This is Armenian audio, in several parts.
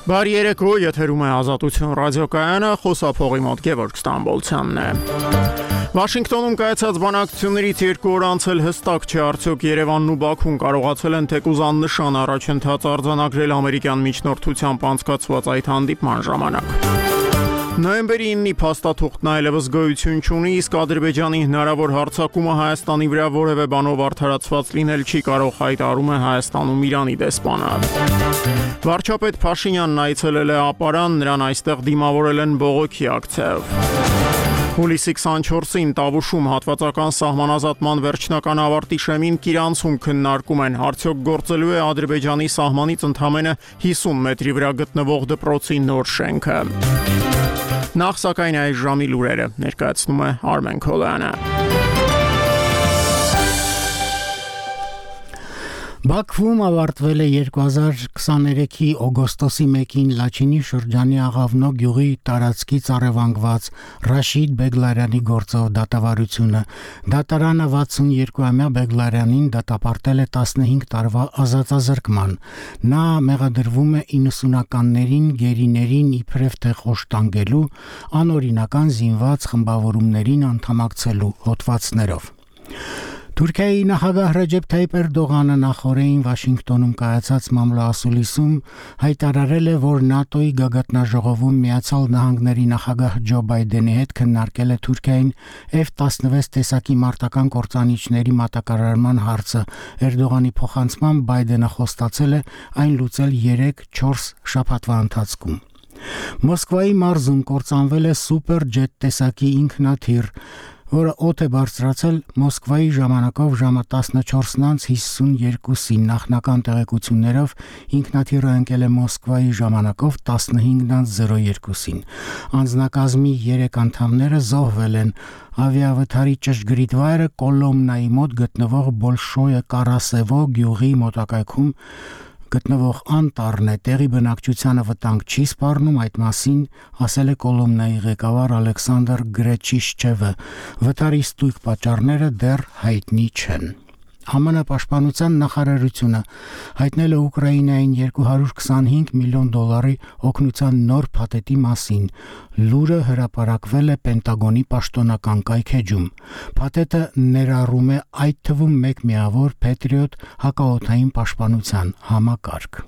Բարի երեկո, եթերում է Ազատություն ռադիոկայանը, խոսափողի մոտ Գևորգ Ստամբոլցյանն է։ Վաշինգտոնում կայացած բանակցություններից 2 օր անցել հստակ չէ արդյոք Երևանն ու Բաքուն կարողացել են թեկուզ աննշան առաջընթաց արձանագրել ամերիկյան միջնորդությամբ անցկացված այդ հանդիպման ժամանակ։ Նոյեմբերի 9-ի փաստաթուղթն այլևս գոյություն չունի, իսկ Ադրբեջանի հնարավոր հարձակումը Հայաստանի վրա որևէ բանով արդարացված լինել չի կարող, հայտարարում է Հայաստանում Իրանի դեսպանը։ Վարչապետ Փաշինյանն այցելել է Ապարան, նրան այստեղ դիմավորել են բողոքի ակցիայով։ Հուլիսի 24-ին Տավուշում հատվածական սահմանազատման վերջնական ավարտի շեմին Կիրանցում քննարկում են, արդյոք գործելու է Ադրբեջանի սահմանից ընդամենը 50 մետրի վրա գտնվող դպրոցի նոր շենքը։ Նախ սակայն այս ժամի լուրերը ներկայացնում է Արմեն Քոլյանը։ Բաքվում ավարտվել է 2023-ի օգոստոսի 1-ին Լաչինի շրջանի Աղավնո գյուղի տարածքից առևանգված Ռաշիդ Բեգլարյանի գործով դատավարությունը։ Դատարանը 62-ամյա Բեգլարյանին դատապարտել է 15 տարվա ազատազրկման։ Նա մեղադրվում է 90-ականներին գերիներին իբրև թե խոշտանգելու, անօրինական զինված խմբավորումներին անդամակցելու հոդվածներով։ Թուրքիայի նախագահ Ռեջեփ Թայիպ Էրդողանը նախորդին Վաշինգտոնում կայացած մամլոասուլիսում հայտարարել է, որ ՆԱՏՕ-ի գագաթնաժողովում Միացյալ Նահանգների նախագահ Ջո Բայդենի հետ քննարկել է Թուրքիային F-16 տեսակի մարտական կործանիչների մատակարարման հարցը։ Էրդողանի փոխանցմամբ Բայդենը խոստացել է այն լուծել 3-4 շաբաթվա ընթացքում։ Մոսկվայի մարզում կործանվել է սուպեր-ջետ տեսակի ինքնաթիռ, որը օդ է բարձրացել Մոսկվայի ժամանակով ժամը 14:52-ին, նախնական տեղեկություններով ինքնաթիռը ընկել է Մոսկվայի ժամանակով 15:02-ին։ Անձնակազմի 3 անդամները զոհվել են։ Ավիավթարի ճշգրիտ վայրը Կոլոմնայի մոտ գտնվող Բոլշոյե Կարասևո գյուղի մոտակայքում գտնվող անտառն է, տեղի բնակչությանը վտանգ չի սպառնում, այդ մասին ասել է Կոլոմնայի ղեկավար Ալեքսանդր Գրեչիշչևը։ Վթարի ստույգ պատճառները դեռ հայտնի չեն։ ԱՄՆ պաշտպանության նախարարությունը հայտնել է Ուկրաինային $225 միլիոն օգնության նոր փաթեթի մասին։ Լուրը հրապարակվել է Պենտագոնի պաշտոնական կայքէջում։ Փաթեթը ներառում է այդ թվում 1 միավոր Patriot հակաօդային պաշտպանության համակարգ։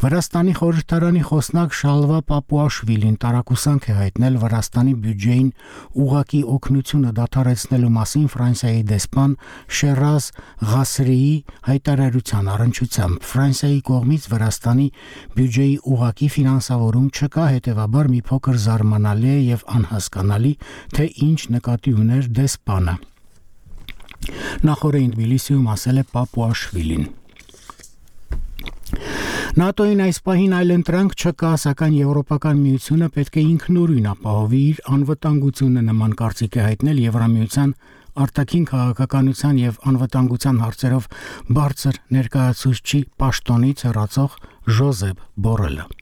Վրաստանի խորհրդարանի խոսնակ Շալվա Պապուաշվիլին տարակուսանք է հայտնել Վրաստանի բյուջեին ուղղակի օգնությունը դադարեցնելու մասին Ֆրանսիայի դեսպան Շերազ Ղասրիի հայտարարության առնչությամբ։ Ֆրանսիայի կողմից Վրաստանի բյուջեի ուղղակի ֆինանսավորում չկա, հետևաբար մի փոքր զարմանալի է եւ անհասկանալի, թե ինչ նկատի ուներ դեսպանը։ Նախորդին Թբիլիսիում ասել է Պապուաշվիլին։ ՆԱՏՕ-ին այս պահին այլընտրանք չկա, սակայն Եվրոպական միությունը պետք է ինքնուրույն ապահովի իր անվտանգությունը, նման կարծիք է հայտնել Եվրամիության արտաքին քաղաքականության եւ անվտանգության հարցերով բարձր ներկայացուցչի պաշտոնից հեռացող Ժոզեփ Բորելը։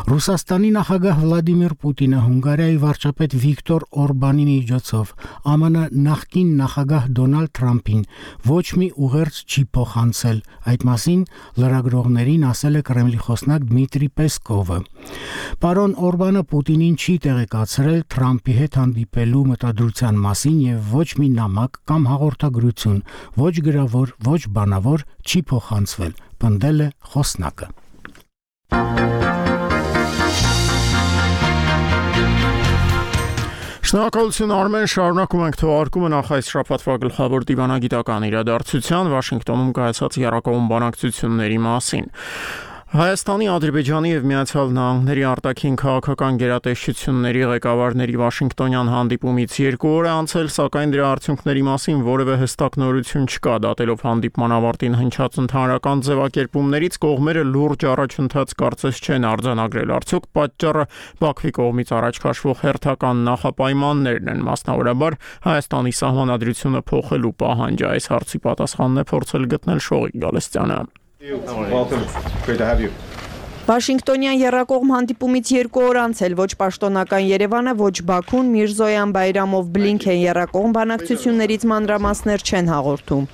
Ռուսաստանի նախագահ Վլադիմիր Պուտինը Հունգարիայի վարչապետ Վիկտոր Օրբանի միջոցով ԱՄՆ նախկին նախագահ Դոնալդ Թրամփին ոչ մի ուղերձ չի փոխանցել։ Այդ մասին լրագրողներին ասել է Կրեմլի խոսնակ Դմիտրի Պեսկովը։ Պարոն Օրբանը Պուտինին չի տեղեկացրել Թրամփի հետ հանդիպելու մտադրության մասին եւ ոչ մի նամակ կամ հաղորդագրություն, ոչ գրավոր, ոչ բանավոր չի փոխանցվել, պնդել է խոսնակը։ Շնորհակալություն Արմեն, շարունակում ենք թողարկումը նախ այս շաբաթվա գլխավոր դիվանագիտական իրադարձության Վաշինգտոնում կայացած եռակողմ բանակցությունների մասին։ Հայաստանի, Ադրբեջանի եւ Միացյալ Նահանգների արտաքին քաղաքական գերատեսչությունների ղեկավարների Վաշինգտոնյան հանդիպումից 2 օր է անցել, սակայն դրա արդյունքների մասին որևէ հստակ նորություն չկա։ Դատելով հանդիպման ավարտին հնչած ընդհանրական ձևակերպումներից կողմերը լուրջ առաջընթաց կարծես չեն արձանագրել։ Արդյոք պատճառը Բաքվի կողմից առաջ քաշվող հերթական նախապայմաններն են, մասնավորաբար Հայաստանի սահմանադրությունը փոխելու պահանջը։ Այս հարցի պատասխանն է փորձել գտնել Շողիկ Գալստյանը։ Welcome. Great to have you. Վաշինգտոնյան եռակողմ հանդիպումից 2 օր անց էլ ոչ պաշտոնական Երևանը, ոչ Բաքուն Միրզոյան Բայրամով Բլինքեն եռակողմ բանակցություններից մանրամասներ չեն հաղորդում։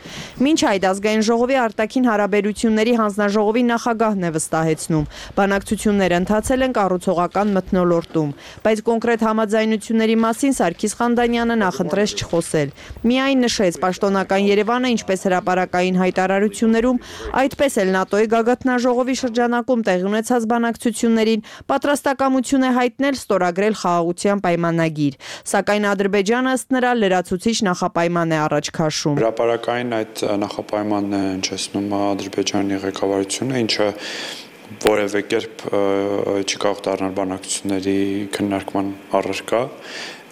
Մինչ այդ ազգային ժողովի արտաքին հարաբերությունների հանձնաժողովի նախագահն է վստահեցնում. բանակցությունները ընթացել են կառուցողական մթնոլորտում, բայց կոնկրետ համաձայնությունների մասին Սարգիս Խանդանյանը նախընտրեց չխոսել։ Միայն նշեց պաշտոնական Երևանը, ինչպես հրապարակային հայտարարություններում, այդպես էլ ՆԱՏՕ-ի գագաթնաժողովի շրջանակում տեղի ունեցած բանակցություններին պատրաստակամություն է հայտնել ստորագրել խաղաղության պայմանագիր, սակայն Ադրբեջանը ըստ նրա լրացուցիչ նախապայման է առաջ քաշում։ Հրապարակային այդ նախապայմանն է հնչեցնում Ադրբեջանի ղեկավարությունը, ինչը որևէ կերպ չի կարող դառնալ բանակցությունների քննարկման առարկա,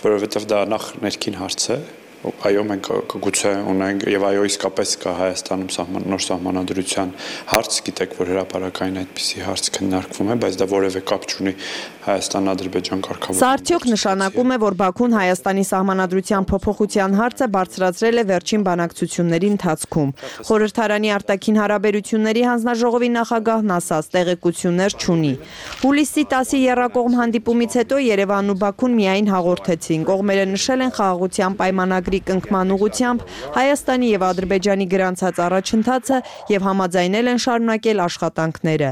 որովհետև դա նախ ներքին հարց է։ Այո, մենք գուցե ունենք եւ այո իսկապես կա Հայաստանում նոր սահմանադրության հարց, գիտեք, որ հրապարակային այդպիսի հարց քննարկվում է, բայց դա որևէ կապ չունի Հայաստան-Ադրբեջան կարգավորման։ Սա արդյոք նշանակում է, որ Բաքուն Հայաստանի սահմանադրության փոփոխության հարցը բարձրացրել է վերջին բանակցությունների ընթացքում։ Խորհրդարանի արտաքին հարաբերությունների հանձնաժողովի նախագահն ասաց, տեղեկություններ չունի։ Հուլիսի 10-ի եռակողմ հանդիպումից հետո Երևանն ու Բաքուն միայն հաղորդեցին։ Կողմերը նշել են խաղաղության պայմանագրի կնքման ուղղությամբ Հայաստանի եւ Ադրբեջանի գրանցած առաջընթացը եւ համաձայնել են շարունակել աշխատանքները։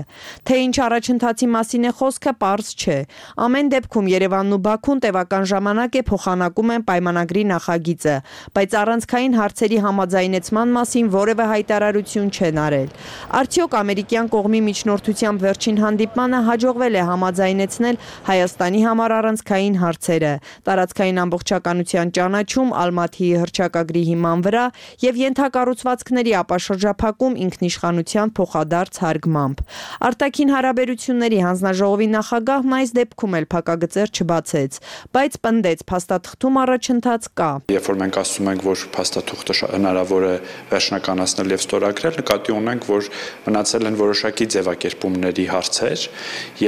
Թե ինչ առաջընթացի մասին է խոսքը, պարզ չէ։ Ամեն դեպքում Երևանն ու Բաքուն տևական ժամանակ է փոխանակում են պայմանագրի նախագիծը, բայց առանցքային հարցերի համաձայնեցման մասին որևէ հայտարարություն չեն արել։ Արդյոք ամերիկյան կողմի միջնորդությամբ վերջին հանդիպմանը հաջողվել է համաձայնեցնել Հայաստանի համար առանցքային հարցերը, տարածքային ամբողջականության ճանաչում Ալմաթիի հռչակագրի հիման վրա եւ ենթակառուցվածքների ապաշրջափակում ինքնիշխանության փոխադարձ հարգմամբ։ Արտաքին հարաբերությունների հանձնաժողովի նախագահն այս դեպքում էլ փակագծեր չբացեց, բայց պնդեց փաստաթղթում առաջընթաց կա։ Երբ որ մենք ասում ենք, որ փաստաթուղթը հնարավոր է վերջնականացնել եւ ստորագրել, նկատի ունենք, որ մնացել են որոշակի ձևակերպումների հարցեր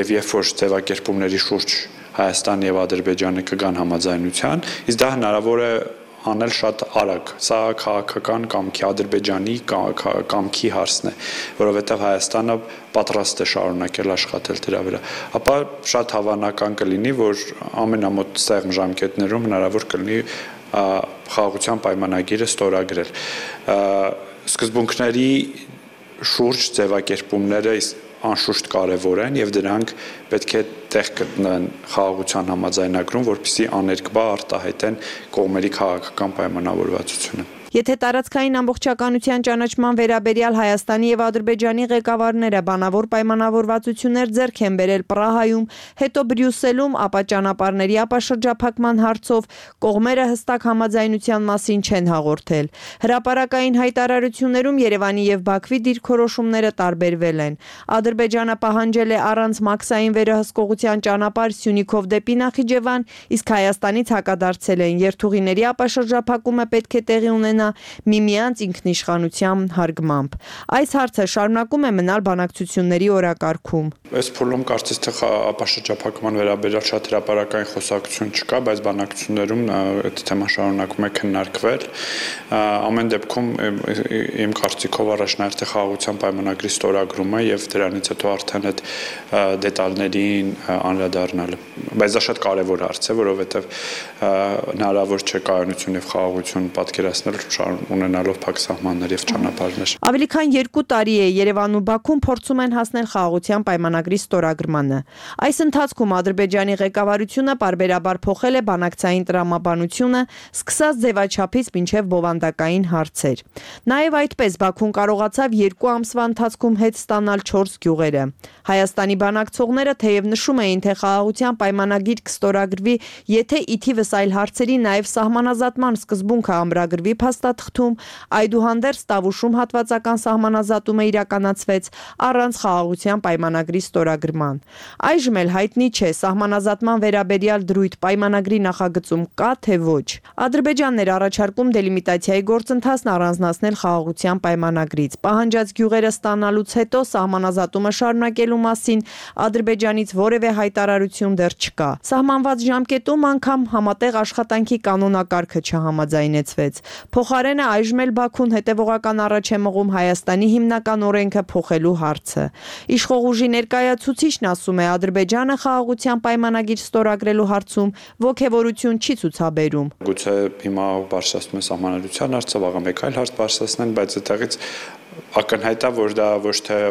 եւ երբ որ ձևակերպումների շուրջ Հայաստանը եւ Ադրբեջանը կգան համաձայնության, իսկ դա հնարավոր է անել շատ արագ։ Սա քաղաքական կամքի Ադրբեջանի կամքի հարցն է, որովհետև Հայաստանը պատրաստ է շարունակել աշխատել դրա վրա։ Ապա շատ հավանական կլինի, որ ամենամոտ սեղմ ժամկետներում հնարավոր կլինի խաղաղության պայմանագիրը ստորագրել։ Սկզբունքների շուրջ ձևակերպումները անշուշտ կարևոր են եւ դրանք պետք է տեղ գտնեն խաղաղության համաձայնագրում, որպեսզի աներկբա արտահայտեն կողմերի քաղաքական պայմանավորվածությունը։ Եթե տարածքային ամբողջականության ճանաչման վերաբերյալ Հայաստանի եւ Ադրբեջանի ղեկավարները բանավոր պայմանավորվածություններ ձեռք են բերել Պրահայում, հետո Բրյուսելում, ապա ճանապարհների ապաշրջափակման հարցով կողմերը հստակ համաձայնության մասին չեն հաղորդել։ Հրապարակային հայտարարություններում Երևանի եւ Բաքվի դիրքորոշումները տարբերվել են։ Ադրբեջանը պահանջել է առանց մաքսային վերահսկողության ճանապարհ Սյունիքով դեպի Նախիջևան, իսկ Հայաստանից հակադարձել են երթուղիների ապաշրջափակումը պետք է տեղի ունենա միմյանց ինքնիշխանության հարգմամբ։ Այս հարցը շարունակում է մնալ բանակցությունների օրակարգում։ Այս փուլում կարծես թե ապաշրջափակման վերաբերյալ շատ հրապարակային խոսակցություն չկա, բայց բանակցություններում այդ թեման շարունակում է քննարկվել։ Ամեն դեպքում իմ կարծիքով առաջնահերթ է խաղաղության պայմանագրի ստորագրումը եւ դրանից հետո արդեն այդ դետալներին անդրադառնալը։ Բայց դա շատ կարեւոր հարց է, որովհետեւ հնարավոր չէ կայունություն եւ խաղաղություն պատկերացնել ունենալով փակ սահմաններ եւ ճանապարհներ։ Ավելի քան 2 տարի է Երևանն ու Բաքուն փորձում են հասնել խաղաղության պայմանագրի ստորագրմանը։ Այս ընթացքում Ադրբեջանի ղեկավարությունը պարբերաբար փոխել է բանակցային տրամաբանությունը, սկսած ձևաչափից մինչև բովանդակային հարցեր։ Նաեւ այդպես Բաքուն կարողացավ 2 ամսվա ընթացքում հետ ստանալ 4 գյուղերը։ Հայաստանի բանակցողները թեև նշում էին, թե խաղաղության պայմանագիր կստորագրվի, եթե ի թիվս այլ հարցերի նաեւ սահմանազատման սկզբունքը ամրագրվի փաստաթղթում, այդուհանդերձ Տավուշում հատվածական սահմանազատումը իրականացվեց առանց խաղաղության պայմանագրի ստորագրման։ Այժմ էլ հայտնի չէ սահմանազատման վերաբերյալ դրույթ պայմանագրի նախագծում կա թե ոչ։ Ադրբեջանն էր առաջարկում դելիմիտացիայի գործընթացն առանձնացնել խաղաղության պայմանագրից։ Պահանջած գյուղերը ստանալուց հետո սահմանազատումը շարունակելու մասին Ադրբեջանից որևէ հայտարարություն դեռ չկա։ Սահմանված ժամկետում անգամ համատեղ աշխատանքի կանոնակարգը չհամաձայնեցվեց։ Փոխարենը այժմ էլ Բաքուն հետևողական առաջ է մղում Հայաստանի հիմնական օրենքը փոխելու հարցը։ Իշխող ուժի ներկայացուցիչն ասում է, Ադրբեջանը խաղաղության պայմանագիր ստորագրելու հարցում ոգևորություն չի ցուցաբերում։ Գուցե հիմա բարձրացնում է սահմանադրության հարցը, վաղը մեկ այլ հարց բարձրացնեն, բայց այդտեղից ակնհայտ է, որ դա ոչ թե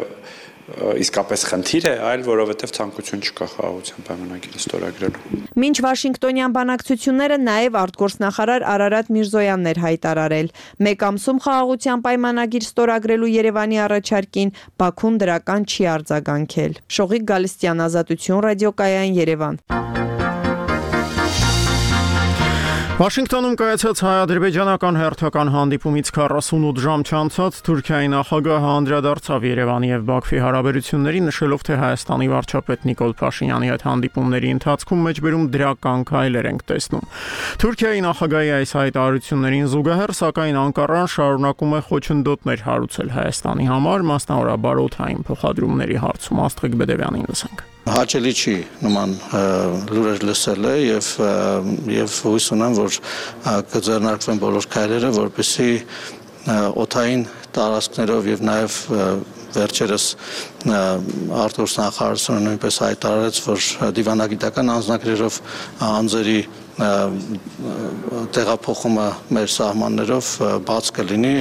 իսկապես խնդիր է, այլ որովհետև ցանկություն չկա խաղաղության պայմանագիրը ստորագրելու։ Մինչ Վաշինգտոնյան բանակցությունները նաև արտգործնախարար Արարատ Միրզոյանն էր հայտարարել։ Մեկ ամսում խաղաղության պայմանագիր ստորագրելու Երևանի առաջարկին Բաքուն դրական չի արձագանքել։ Շողիկ Գալստյան, Ազատություն, ռադիոկայան, Երևան։ Վաշինգտոնում կայացած հայ-ադրբեջանական հերթական հանդիպումից 48 ժամ չանցած Թուրքիայի նախագահը անդրադարձավ Երևանի եւ Բաքվի հարաբերությունների, նշելով, թե Հայաստանի վարչապետ Նիկոլ Փաշինյանի հետ հանդիպումների ընթացքում մեջբերում դրական քայլեր ենք տեսնում։ Թուրքիայի նախագահի այս հայտարարություններին զուգահեռ, սակայն Անկարան շարունակում է խոչընդոտներ հարուցել Հայաստանի համար, մասնավորաբար օդային փոխադրումների հարցում։ Աստղիկ Բեդևյանին լսենք։ Հաճելի չի նման լուրեր լսելը եւ հույս ունեմ, որ կձեռնարկվեն բոլոր քայլերը, որպեսզի օդային տարածքներով եւ նաեւ վերջերս արտգործնախարարությունը նույնպես հայտարարեց, որ դիվանագիտական անձնագրերով անձերի տեղափոխումը մեր սահմաններով բաց կլինի։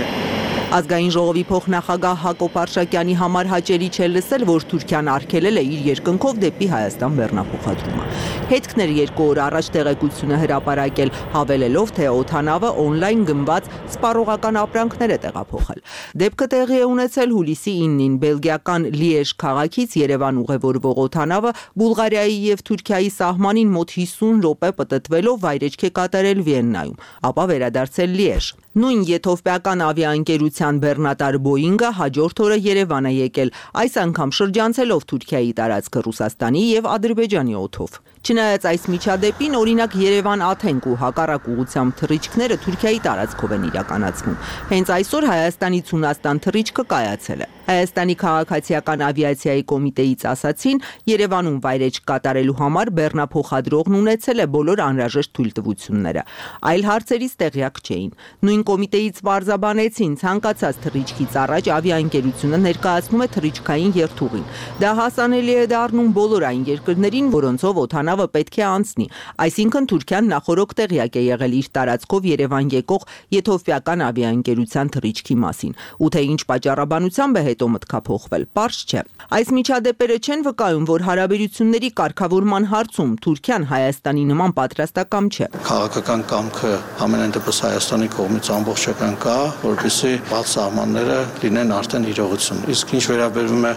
Ազգային ժողովի փոխնախագահ Հակոբ Արշակյանի համար հաճելի չէ լսել, որ Թուրքիան արգելել է իր երկնքով դեպի Հայաստան բեռնափոխադրումը։ Հետքներ 2 օր առաջ տեղեկությունը հրապարակել, հավելելով, թե օդանավը օնլայն գնված սպառողական ապրանքներ է տեղափոխել։ Դեպքը տեղի է ունեցել հուլիսի 9-ին բելգիական Լիեժ քաղաքից Երևան ուղևորվող օդանավը Բուլղարիայի եւ Թուրքիայի սահմանին մոտ 50 րոպե պտտվելով վայրեջք է կատարել Վիեննայում, ապա վերադարձել Լիեժ։ Նույն եթովպիական ավիաընկերության բեռնատար Boeing-ը հաջորդ օրը Երևան է եկել, այս անգամ շրջանցելով Թուրքիայի տարածքը Ռուսաստանի եւ Ադրբեջանի օդով։ Չնայած այս միջադեպին, օրինակ Երևան-Աթենք ու հակառակ ուղղությամբ թռիչքները Թուրքիայի տարածքով են իրականացվում։ Հենց այսօր Հայաստանից Հունաստան թռիչքը կայացել է։ Հայաստանի քաղաքացիական ավիացիայի կոմիտեից ասացին, Երևանում վայրեջք կատարելու համար բեռնափոխադրողն ունեցել է բոլոր անհրաժեշտ թույլտվությունները։ Այլ հարցերից տեղյակ չէին։ Նույն կոմիտեից պարզաբանեցին, ցանկացած թռիչքից առաջ ավիաընկերությունը ներկայացնում է թռիչքային երթուղին։ Դա հասանելի է դառնում բոլոր այն երկրներին, որոնցով օդանավը պետք է անցնի։ Այսինքն Թուրքիան նախորոք տեղյակ է եղել իր տարածքով Երևան եկող եթովպիական ավիաընկերության թռիչքի մասին։ Ու թե ինչ պատճառաբանությամբ է հետո մտքափոխվել, պարզ չէ։ Այս միջադեպերը չեն վկայում, որ հարաբերությունների կարգավորման հարցում Թուրքիան Հայաստանի նման պատրաստակամ չէ։ Քաղաքական կամքը ամենայն դեպս Հայաստանի կողմից ամբողջական կա, որպեսզի բաց սահմանները լինեն արդեն իրողություն։ Իսկ ինչ վերաբերվում է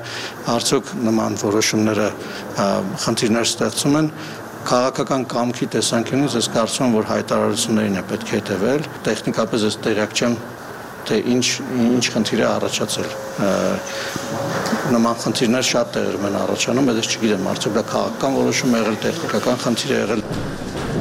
արդյոք նման որոշումները խնդիրներ ստեղծում են, քաղաքական կամքի տեսանկյունից ես կարծում եմ, որ հայտարարություններին է պետք է հետևել, տեխնիկապես ես տեղյակ չեմ, թե ինչ խնդիր է առաջացել։ Նման խնդիրներ շատ տեղերում են առաջանում, բայց ես չգիտեմ, արդյոք դա քաղաքական որոշում է եղել, տեխնիկական խնդիր է եղել։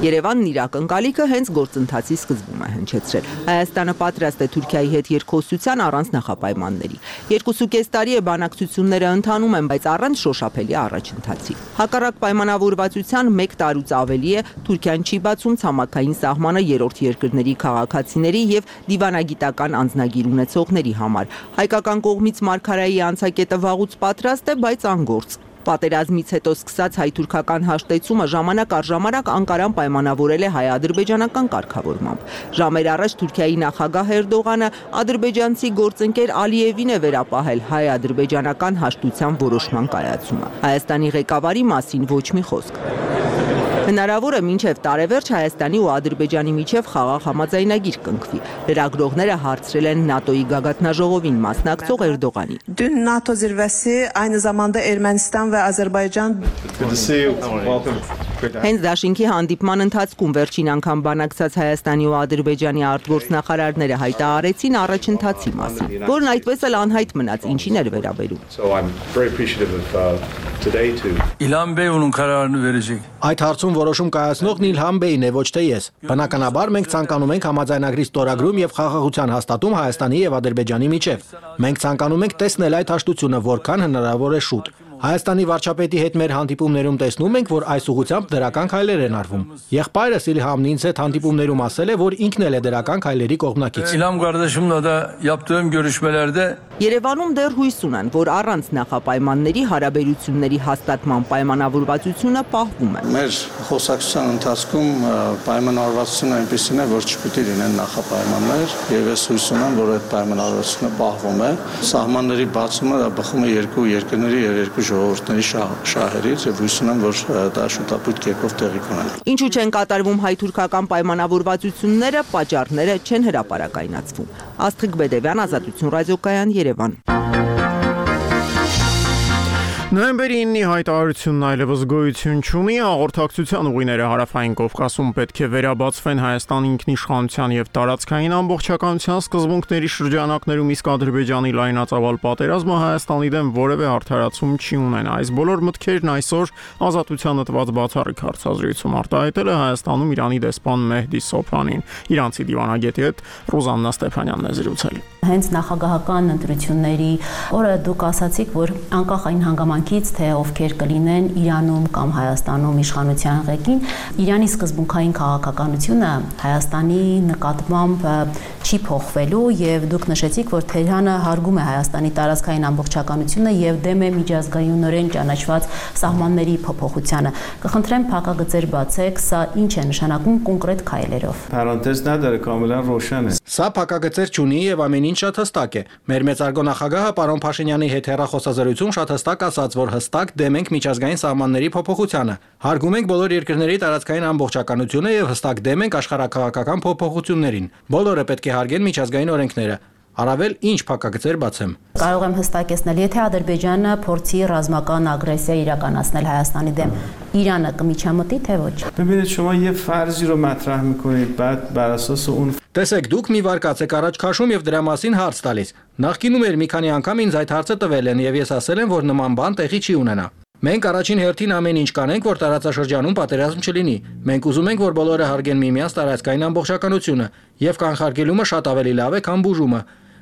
Երևանն իր ակնկալիքը հենց գործընթացի սկզբում է հնչեցրել։ Հայաստանը պատրաստ է Թուրքիայի հետ երկխոսության առանց նախապայմանների։ 2.5 տարի է բանակցությունները ընթանում են, բայց առանց շոշափելի առաջընթացի։ Հակառակ պայմանավորվածության 1 տարուց ավելի է Թուրքիան չի բացում ցամաքային սահմանը երրորդ երկրների քաղաքացիների եւ դիվանագիտական անձնագիր ունեցողների համար։ Հայկական կողմից Մարգարայի անցակետը վաղուց պատրաստ է, բայց անգործ։ Պատերազմից հետո սկսած հայ-թուրքական հաշտեցումը ժամանակ առ ժամանակ Անկարան պայմանավորել է հայ-ադրբեջանական կարգավորմամբ։ Ժամեր առաջ Թուրքիայի նախագահ Էրդողանը ադրբեջանցի գործընկեր Ալիևին է վերապահել հայ-ադրբեջանական հաշտության որոշման կայացումը։ Հայաստանի ղեկավարի մասին ոչ մի խոսք։ Հնարավոր է մինչև տարեվերջ Հայաստանի ու Ադրբեջանի միջև խաղաղ համաձայնագիր կնքվի։ Լրագրողները հարցրել են ՆԱՏՕ-ի գագաթնաժողովին մասնակցող Էրդողանի։ Dün NATO zirvesi aynı zamanda Ermənistan ve Azerbaycan Հենց դաշինքի հանդիպման ընթացքում վերջին անգամ բանակցած Հայաստանի ու Ադրբեջանի արտգործնախարարները հայտարարեցին առաջընթացի մասին, որն այդպես էլ անհայտ մնաց, ինչին էր վերաբերում։ İlhan Bey onun kararını verecek. Այդ հարցում որոշում կայացնողն Իլհամ Բեյն է, ոչ թե ես։ Բնականաբար մենք ցանկանում ենք համաձայնագրի ստորագրում եւ խաղաղության հաստատում Հայաստանի եւ Ադրբեջանի միջև։ Մենք ցանկանում ենք տեսնել այդ հաշտությունը որքան հնարավոր է շուտ։ Հայաստանի վարչապետի հետ մեր հանդիպումներում տեսնում ենք, որ այս ուղղությամբ դրական քայլեր են արվում։ Եղբայրս Իլհամն ինձ հետ հանդիպումներում ասել է, որ ինքն էլ է դրական քայլերի կողմնակից։ İlham kardeşimle de yaptığım görüşmelerde Երևանում դեռ հույս ունեն, որ առանց նախապայմանների հարաբերությունների հաստատման պայմանավորվածությունը պահվում է։ Մեր խոսակցության ընթացքում պայմանավորվածությունը այնպեսին է, որ չպիտի լինեն նախապայմաններ, եւ ես հույս ունեմ, որ այդ պայմանավորվածությունը պահվում է։ Սահմանների բացումը դա բխում է երկու երկրների եւ երկու ժողովուրդների շահերից եւ հույս ունեմ, որ դա շուտապույտ կերպով տեղի կունենա։ Ինչու չեն կատարվում հայ-թուրքական պայմանավորվածությունները, պատճառները չեն հրապարակայնացվում։ Աստղիկ Բեդևյան, Ազատություն ռադիոկայան, Երևան։ Նոյեմբերի 9-ի հայտարարությունն այլևս գոյություն չունի, հաղորդակցության ուղիները Հարավային Կովկասում պետք է վերաբացվեն Հայաստանի ինքնիշխանության եւ տարածքային ամբողջականության սկզբունքների շրջանակներում, իսկ Ադրբեջանի լայնածավալ պատերազմը Հայաստանի դեմ որևէ արդարացում չի ունենա։ Այս բոլոր մտքերն այսօր Ազատությանը տված բացառիկ հարցազրույցում արտահայտել է Հայաստանում Իրանի դեսպան Մեհդի Սոփանին։ Իրանցի դիվանագետի հետ Ռուզաննա Ստեփանյանն է զրուցել։ Հենց նախագահական ընտրությունների օրը դուք ասացիք, որ անկախ այն հանգամանքից, թե ովքեր կլինեն Իրանում կամ Հայաստանում իշխանության ղեկին, Իրանի սկզբունքային քաղաքականությունը Հայաստանի նկատմամբ չի փոխվելու եւ դուք նշեցիք, որ Թեհրանը հարգում է Հայաստանի տարածքային ամբողջականությունը եւ դեմ է միջազգայինորեն ճանաչված սահմանների փոփոխությանը։ Կխնդրեմ փակագծեր բացեք, սա ինչ է նշանակում կոնկրետ քայլերով։ Պարենտեզ նադարը կամելան ռոշան է։ Սա փակագծեր չունի եւ ամեն ինչ շատ հստակ է։ Մեր մեծարգո նախագահը պարոն Փաշինյանի հետ հեռախոսազրույցում շատ հստակ ասաց, որ հստակ դեմ ենք միջազգային սահմանների փոփոխությանը։ Հարգում ենք բոլոր երկրների տարածքային ամբողջականությունը եւ հստակ դեմ ենք աշխարհաքաղաքական փոփոխություններին։ Բոլորը պետք է հարգեն միջազգային օրենքները։ Առավել ինչ փակագծեր բացեմ։ Կարող եմ հստակեցնել, եթե Ադրբեջանը փորձի ռազմական ագրեսիա իրականացնել Հայաստանի դեմ, Իրանը կմիջամտի, թե ոչ։ Բնականաբար شما یه فرضی رو مطرح می‌کنید بعد بر اساس اون Տեսեք, դուք մի վարկած եք առաջ քաշում եւ դրա մասին հարց տալիս։ Նախկինում էր մի քանի անգամ ինձ այդ հարցը տվել են եւ ես ասել եմ, որ նման բան տեղի չի ունենա։ Մենք առաջին հերթին ամեն ինչ կանենք, որ տարածաշրջանում պատերազմ չլինի։ Մենք ուզում ենք, որ բոլորը հարգեն միմյանց տարածքային ամբողջականությունը եւ կանխարգելումը շատ ավելի լավ է, քան բուժումը։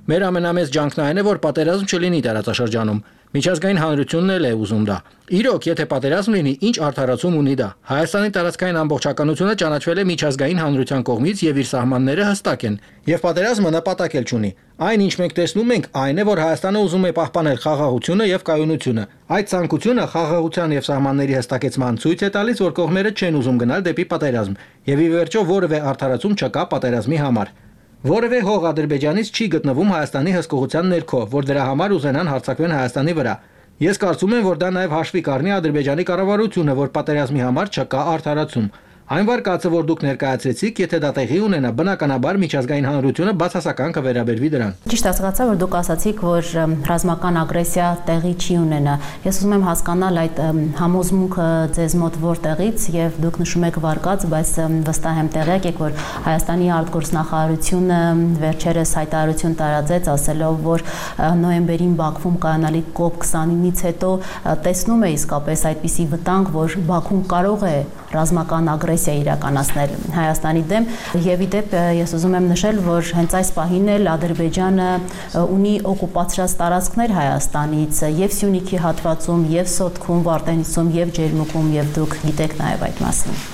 Մեր ամենամեծ ջանքն այն է, որ պատերազմ չլինի տարածաշրջանում։ Միջազգային հանրությունն էլ է ուզում դա։ Իրոք, եթե պատերազմ լինի, ինչ արդարացում ունի դա։ Հայաստանի տարածքային ամբողջականությունը ճանաչվել է միջազգային հանրության կողմից եւ իր սահմանները հստակ են։ Եվ պատերազմը նպատակ էլ չունի։ Այն, ինչ մենք տեսնում ենք, այն է, որ Հայաստանը ուզում է պահպանել խաղաղությունը եւ կայունությունը։ Այդ ցանկությունը խաղաղության եւ սահմանների հստակեցման ցույց է տալիս, որ կողմերը չեն ուզում գնալ դեպի պատերազմ։ Եվ ի վերջո որևէ արդարացում չկա պատերազմի համար։ Որևէ հող Ադրբեջանից չի գտնվում Հայաստանի հսկողության ներքո, որ դրա համար ուզենան հարձակվեն Հայաստանի վրա։ Ես կարծում եմ, որ դա նաև հաշվի կառնի Ադրբեջանի կառավարությունը, որ պատերազմի համար չկա արդարացում։ Այն վարկածը, որ դուք ներկայացրեցիք, եթե դա տեղի ունենա, բնականաբար միջազգային հանրությունը բացասական կվերաբերվի դրան։ Ճիշտ հասկացա, որ դուք ասացիք, որ ռազմական ագրեսիա տեղի չի ունենա։ Ես ուզում եմ հասկանալ այդ համոզմունքը ձեզ մոտ որտեղից եւ դուք նշում եք վարկած, բայց վստահ եմ տեղյակ եք, որ Հայաստանի արտգործնախարարությունը վերջերս հայտարարություն տարածեց, ասելով, որ նոյեմբերին Բաքվում կայանալիք COP29-ից հետո տեսնում է իսկապես այդպիսի վտանգ, որ Բաքուն կարող է ռազմական ագրեսիա իրականացնել Հայաստանի դեմ եւ իդեպ ես ուզում եմ նշել, որ հենց այս պահին էլ Ադրբեջանը ունի օկուպացրած տարածքներ Հայաստանից եւ Սյունիքի հատվածում, եւ Սոտքում, Վարդենիսում, եւ Ջերմուկում, եւ դուք գիտեք նաեւ այդ մասին։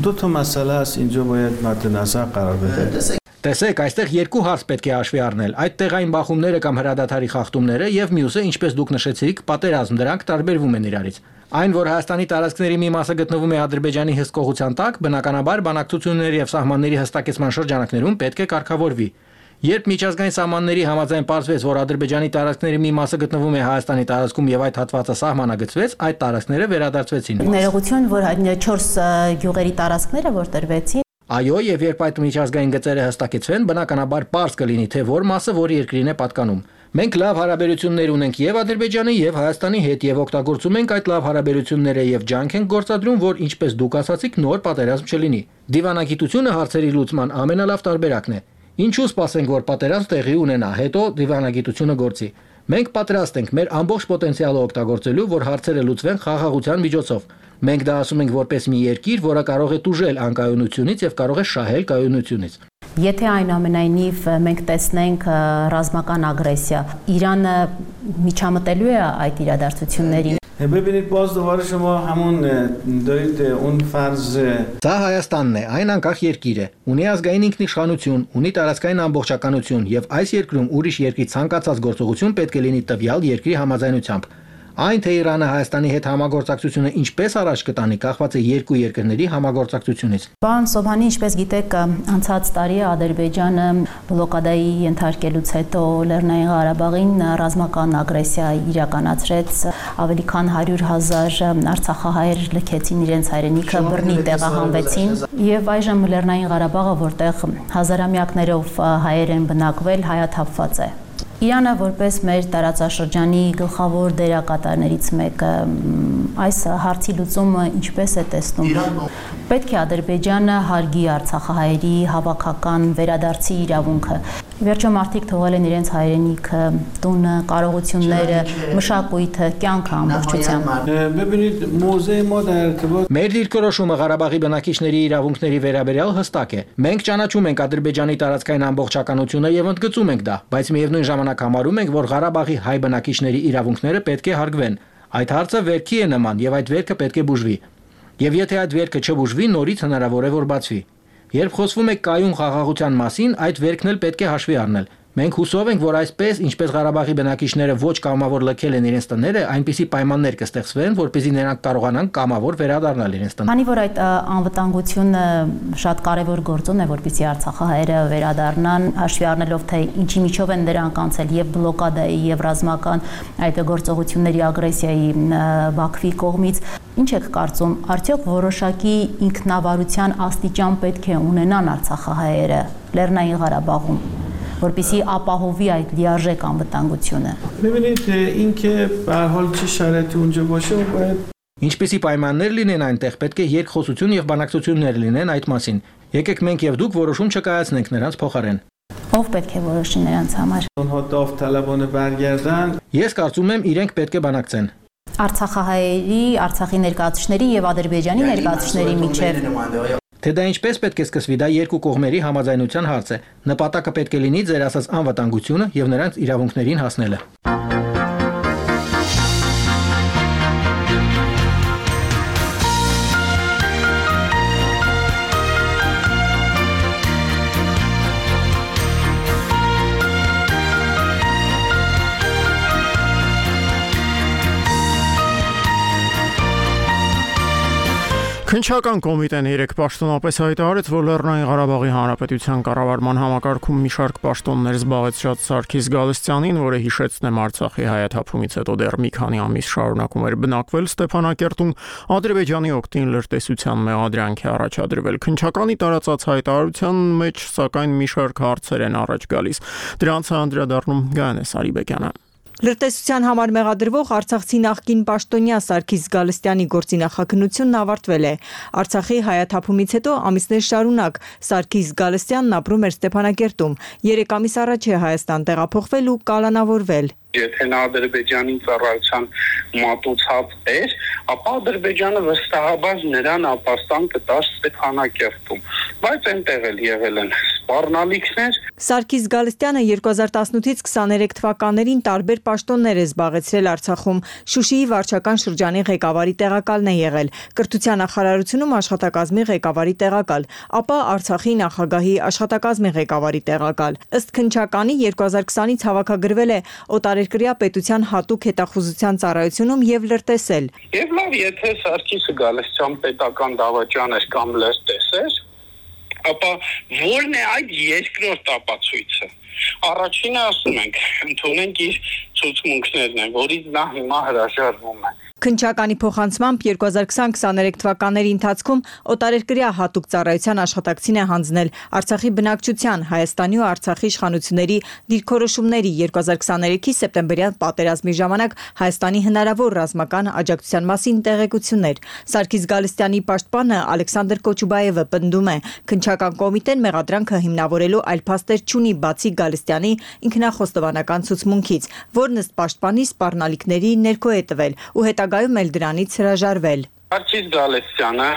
دو تا مسئله است اینجا باید مد نظر قرار بده. Տեսեք, այստեղ երկու հարց պետք է հաշվի առնել։ Այդ տեղային բախումները կամ հրադադարի խախտումները եւ մյուսը, ինչպես դուք նշեցիք, պատերազմ, դրանք տարբերվում են իրարից։ Այն, որ Հայաստանի տարածքների մի մասը գտնվում է Ադրբեջանի հսկողության տակ, բնականաբար բանակցությունների եւ սահմանների հստակեցման շրջանակներում պետք է կարգավորվի։ Երբ միջազգային սահմանների համաձայն պարզվեց, որ Ադրբեջանի տարածքների մի մասը գտնվում է Հայաստանի տարածքում եւ այդ հատվածը սահմանագծվեց, այդ տարածքները վերադարձվեցին։ Ներողություն, որ 4 գյուղերի տարածքները որ տրվեցին։ Այո, եւ երբ այդ միջազգային գծերը հստակեցվեն, բնականաբար պարզ կլինի, թե որ մասը որ երկրին է պատկանում։ Մենք լավ հարաբերություններ ունենք եւ Ադրբեջանի եւ Հայաստանի հետ եւ օգտագործում ենք այդ լավ հարաբերությունները եւ ջանք ենք գործադրում, որ ինչպես դուք ասացիք, նոր պատերազմ չլինի։ Դիվանագիտությունը հարցերի լուծման ամենալավ տարբերակն է։ Ինչու սպասենք, որ պատերազմ տեղի ունենա, հետո դիվանագիտությունը գործի։ Մենք պատրաստ ենք մեր ամբողջ պոտենցիալը օգտագործելու, որ հարցերը լուծվեն խաղաղության միջոցով։ Մենք դա ասում ենք որպես մի երկիր, որը կարող է տուժել անկայունությունից եւ կարող է շահել կայունությունից։ Եթե այնուամենայնիվ մենք տեսնենք ռազմական ագրեսիա, Իրանը միջամտելու է այդ իրադարձություններին։ ببینید باز دوباره شما همون دارید اون فرض Սա Հայաստանն է, այն անկախ երկիր է, ունի ազգային ինքնիշխանություն, ունի տարածքային ամբողջականություն եւ այս երկրում ուրիշ երկրի ցանկացած գործողություն պետք է լինի տվյալ երկրի համաձայնությամբ։ Այն թե Իրանը Հայաստանի հետ համագործակցությունը ինչպես առաջ կտանի, կախված է երկու երկրների համագործակցությունից։ Պարոն Սոբհանի, ինչպես գիտեք, անցած տարի Ադրբեջանը բլոկադայի ենթարկելուց հետո Լեռնային Ղարաբաղին ռազմական ագրեսիա իրականացրեց, ավելի քան 100,000 արցախահայեր լքեցին իրենց հայրենիքը, բռնի տեղահանվեցին, եւ այժմ Լեռնային Ղարաբաղը, որտեղ հազարամյակներով հայեր են բնակվել, հայաթափված է։ Իրանը որպես մեր տարածաշրջանի գլխավոր դերակատարներից մեկը այս հարցի լուծումը ինչպես է տեսնում։ Պետք է Ադրբեջանը հարգի արցախահայերի հավաքական վերադարձի իրավունքը։ Վերջում մարդիկ թողել են իրենց հայրենիքը, տունը, կարողությունները, մշակույթը, կյանքը ամբողջությամբ։ ببینید موضع ما در ارتباط Մեր դիրքորոշումը Ղարաբաղի բնակիչների իրավունքների վերաբերյալ հստակ է։ Մենք ճանաչում ենք Ադրբեջանի տարածքային ամբողջականությունը եւ ընդգծում ենք դա, բայց միևնույն ժամանակ համարում ենք, որ Ղարաբաղի հայ բնակիչների իրավունքները պետք է հարգվեն։ Այդ հարցը վերքի է նման եւ այդ վերքը պետք է բուժվի։ Եվ եթե այդ վերքը չբուժվի, նորից հնարավոր է որ բացվի։ Երբ խոսվում է կայուն խաղաղության մասին, այդ վերքն էլ պետք է հաշվի առնել։ Մենք հուսով ենք, որ այսպես, ինչպես Ղարաբաղի բնակիչները ոչ կամավոր լքել են իրենց տները, այնպիսի պայմաններ կստեղծվեն, որպեսզի նրանք կարողանան կամավոր վերադառնալ իրենց տները։ Քանի որ այդ անվտանգությունը շատ կարևոր գործոն է, որպեսզի արցախահայերը վերադառնան, հաշվի առնելով թե ինչի միջով են դրանք անցել եւ բլոկադայի եւ ռազմական այդ գործողությունների ագրեսիայի Բաքվի կողմից, ինչ եք կարծում, արդյոք որոշակի ինքնավարության աստիճան պետք է ունենան արցախահայերը Լեռնային Ղարաբաղում, որպեսզի ապահովի այդ լիարժեք անվտանգությունը։ ببینید اینکه به هر حال چه شرایطی اونجا باشه باید Ինչպիսի պայմաններ լինեն այնտեղ, պետք է երկխոսություն եւ բանակցություններ լինեն այդ մասին։ Եկեք մենք եւ դուք որոշում չկայացնենք նրանց փոխարեն։ Ով պետք է որոշի նրանց համար։ اونها داوطلبانه برگردن Ես կարծում եմ իրենք պետք է բանակցեն։ Արցախահայերի, Արցախի ներկայացուցիչների եւ Ադրբեջանի ներկայացուցիչների միջև Թե դա ինչպես պետք է սկսվի, դա երկու կողմերի համաձայնության հարց է։ Նպատակը պետք է լինի ձեր ասած անվտանգությունը եւ նրանց իրավունքներին հասնելը։ Քննչական կոմիտեն 3 պաշտոնապես հայտարարեց, որ Լեռնային Ղարաբաղի Հանրապետության կառավարման համակարգում մի շարք պաշտոններ զբաղեցրած Սարգիս Գալստյանին, որը հիշեցնեմ Արցախի հայաթափումից հետո դեռ մի քանի ամիս շարունակում էր բնակվել Ստեփանակերտում, Ադրբեջանի օգտին լրտեսության մեղադրանք է առաջադրվել։ Քննչականի տարածած հայտարարության մեջ, սակայն մի շարք հարցեր են առաջ գալիս։ Դրանց անդրադառնում Գայանե Սարիբեկյանը։ Լրտեսության համար մեղադրվող Արցախցի նախկին պաշտոնյա Սարգիս Գալստյանի գործի նախաքննությունն ավարտվել է։ Արցախի հայաթափումից հետո ամիսներ շարունակ Սարգիս Գալստյանն ապրում էր Ստեփանակերտում։ 3 ամիս առաջ է Հայաստան տեղափոխվել ու կալանավորվել։ Եթե նա Ադրբեջանի ծառայության մատուցած էր, ապա Ադրբեջանը վստահաբար նրան ապաստան կտար Ստեփանակերտում, բայց այնտեղ էլ եղել են սպառնալիքներ։ Սարգիս Գալստյանը 2018-ից 23 թվականներին տարբեր պաշտոններ է զբաղեցրել Արցախում։ Շուշիի վարչական շրջանի ղեկավարի տեղակալն է եղել, Կրթության նախարարությունում աշխատակազմի ղեկավարի տեղակալ, ապա Արցախի նախագահի աշխատակազմի ղեկավարի տեղակալ։ Ըստ քննչականի 2020-ից հավաքագրվել է օտարերկրյա պետության հատուկ հետախուզության ծառայությունում եւ լրտեսել։ Եվ լավ, եթե Սարգիսը Գալստյան պետական դավաճան էր կամ լրտես էր, ապա ո՞րն է այդ երկրորդ ապացույցը։ Առաջինը ասում ենք, ընդունենք իր ցուցմունքներն են, որից նա հիմա հրաժարվում է։ Քննչականի փոխանցմամբ 2020-23 թվականների ընթացքում օտարերկրյա հատուկ ծառայության աշխատակցին է հանձնել Արցախի բնակչության, Հայաստանի ու Արցախի իշխանությունների դիրքորոշումների 2023-ի սեպտեմբերյան պատերազմի ժամանակ Հայաստանի հնարավոր ռազմական աջակցության մասին տեղեկություններ։ Սարգիս Գալստյանի պաշտպանը Ալեքսանդր Կոչուբաևը պնդում է, քննչական կոմիտեն մեղադրանքը հիմնավորելու այլ փաստեր չունի բացի Գալստյանի ինքնախոստովանական ցուցմունքից, որն ըստ պաշտպանի սպառնալիքների ներքո է տվել ու հետագայում էլ դրանից հրաժարվել։ Սարգիս Գալստյանը,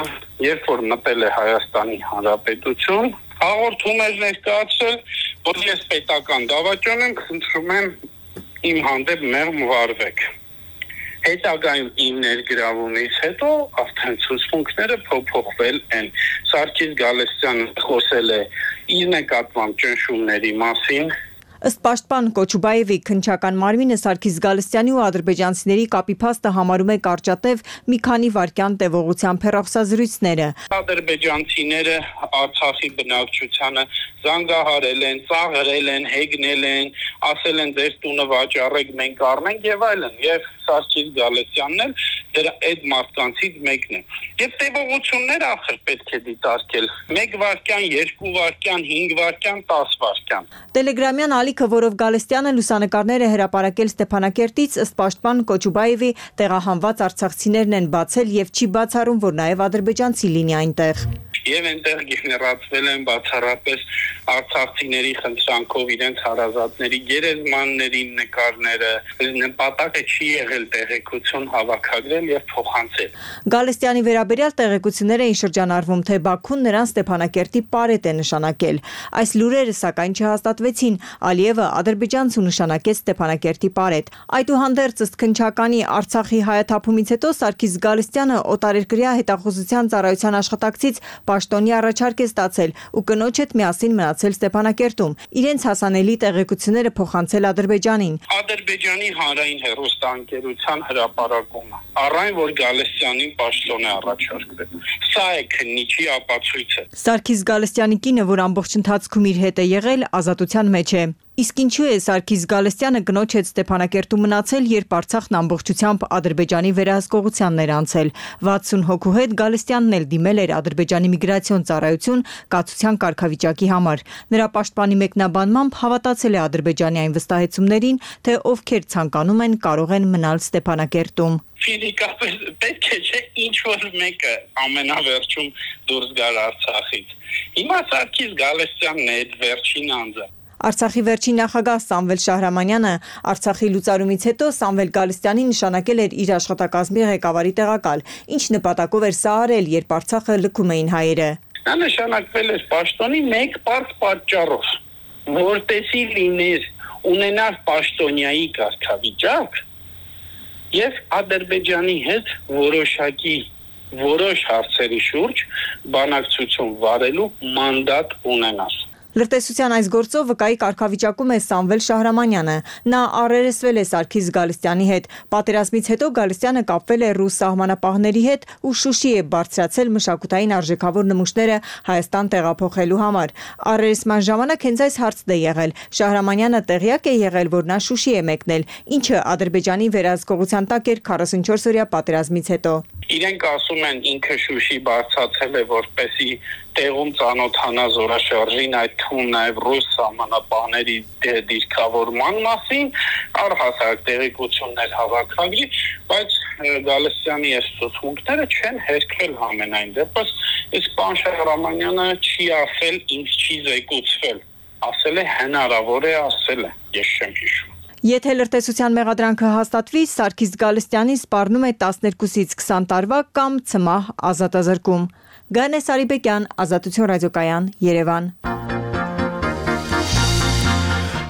երբ որ մտել է Հայաստանի Հանրապետություն, հաղորդում էր ներկայացրել, որ ես պետական դավաճան եմ, խնդրում եմ իմ հանդեպ մեղմ վարվեք։ Հետագայում իմ ներգրավումից հետո արդեն ցուցմունքները փոփոխվել են։ Սարգիս Գալստյանը խոսել է իր նկատմամբ ճնշումների մասին։ Ըստ պաշտպան Կոչուբաևի քննչական մարմինը Սարգիս Գալստյանի ու ադրբեջանցիների կապի փաստը համարում է կարճատև մի քանի վայրկյան տևողությամբ հեռախոսազրույցները։ Ադրբեջանցիները Արցախի բնակչությանը զանգահարել են, ծաղրել են, հեգնել են, ասել են ձեր տունը վաճառեք, մենք առնենք եւ այլն, եւ Սարգիս Գալստյանն էլ դրա այդ մարդկանցից մեկն է։ Եվ տևողությունները ախր պետք է դիտարկել 1 վայրկյան, 2 վայրկյան, 5 վայրկյան, 10 վայրկյան։ Տելեգրամյան ալիքը, որով Գալստյանը լուսանկարներ է հրապարակել Ստեփանակերտից, ըստ պաշտպան Կոչուբաևի, տեղահանված արցախցիներն են բացել եւ չի բացառում, որ նաեւ ադրբեջանցի լինի այնտեղ։ Եվ այնտեղ գեներացվել են բացառապես արցախցիների խնդրանքով իրենց հարազատների գերեզմանների նկարները, նպատակը չի եղել տեղեկություն հավաքագրել եւ փոխանցել։ Գալստյանի վերաբերյալ տեղեկություններ էին շրջանառվում, թե Բաքուն նրան Ստեփանակերտի պարետ է նշանակել։ Այս լուրերը սակայն չհաստատվեցին, Ալիևը ադրբեջանցու նշանակեց Ստեփանակերտի պարետ։ Այդուհանդերձ, ըստ քննչականի Արցախի հայաթափումից հետո Սարգիս Գալստյանը օտարերկրյա հետախուզության ծառայության աշխատակցից պաշտոնի առաջարկ է ստացել ու կնոջ հետ միասին մնացել Ստեփանակերտում, իրենց հասանելի տեղեկությունները փոխանցել Ադրբեջանին։ Ադրբեջանի հանրային հեռուստաընկերության հրապարակումը, առայն որ Գալստյանին պաշտոն է առաջարկվել։ Սա է քննիչի ապացույցը։ Սարգիս Գալստյանի կինը, որ ամբողջ ընթացքում իր հետ է եղել, ազատության մեջ է։ Իսկ ինչու է Սարգիս Գալստյանը կնոջ հետ Ստեփանակերտում մնացել, երբ Արցախն ամբողջությամբ Ադրբեջանի վերահսկողությանն էր անցել։ 60 հոգու հետ Գալստյանն էլ դիմել էր Ադրբեջանի միգրացիոն ծառայություն կացության կարգավիճակի համար։ Նրա պաշտպանի մեկնաբանմամբ հավատացել է Ադրբեջանի այն վստահեցումներին, թե ովքեր ցանկանում են, կարող են մնալ Ստեփանակերտում։ Ֆիզիկապես պետք է չէ ինչ որ մեկը ամենավերջում դուրս գար Արցախից։ Հիմա Սարգիս Գալստյանն է այդ վերջին անձը։ Արցախի վերջին նախագահ Սամվել Շահրամանյանը Արցախի լուծարումից հետո Սամվել Գալստյանին նշանակել էր իր աշխատակազմի ղեկավարի տեղակալ, ինչ նպատակով էր սա արել, երբ Արցախը լքում էին հայերը։ Նա նշանակվել էր պաշտոնի մեկ պարզ պատճառով, որտեսի լիներ ունենար պաշտոնյայի կարգավիճակ եւ Ադրբեջանի հետ որոշ հարցերի շուրջ բանակցություն վարելու մանդատ ունենար։ Լրտեսության այս գործով վկայի կարգավիճակում է Սամվել Շահրամանյանը։ Նա առերեսվել է Սարգիս Գալստյանի հետ։ Պատերազմից հետո Գալստյանը կապվել է ռուս սահմանապահների հետ ու Շուշի է բարձրացել մշակութային արժեքավոր նմուշները Հայաստան տեղափոխելու համար։ Առերեսման ժամանակ հենց այս հարցն է եղել։ Շահրամանյանը տեղյակ է եղել, որ նա Շուշի է մեկնել, ինչը Ադրբեջանի վերահսկողության տակ էր 44-օրյա պատերազմից հետո։ Իրենք ասում են ինքը Շուշի բարձացել է, որպեսի տեղում ծանոթանա զորաշարժին, այդ թվում նաև ռուս սահմանապահների դիրքավորման մասին, առհասարակ տեղեկություններ հավաքագրի, բայց Գալստյանի այս ցուցմունքները չեն հերքվել համենայն դեպս, իսկ պարոն Շահրամանյանը չի ասել, ինձ չի զեկուցվել, ասել է հնարավոր է, ասել է, ես չեմ հիշում։ Եթե լրտեսության մեղադրանքը հաստատվի, Սարգիս Գալստյանին սպառնում է 12-ից 20 տարվա կամ ցմահ ազատազրկում։ Գանե Սարիբեկյան, Ազատություն ռադիոկայան, Երևան։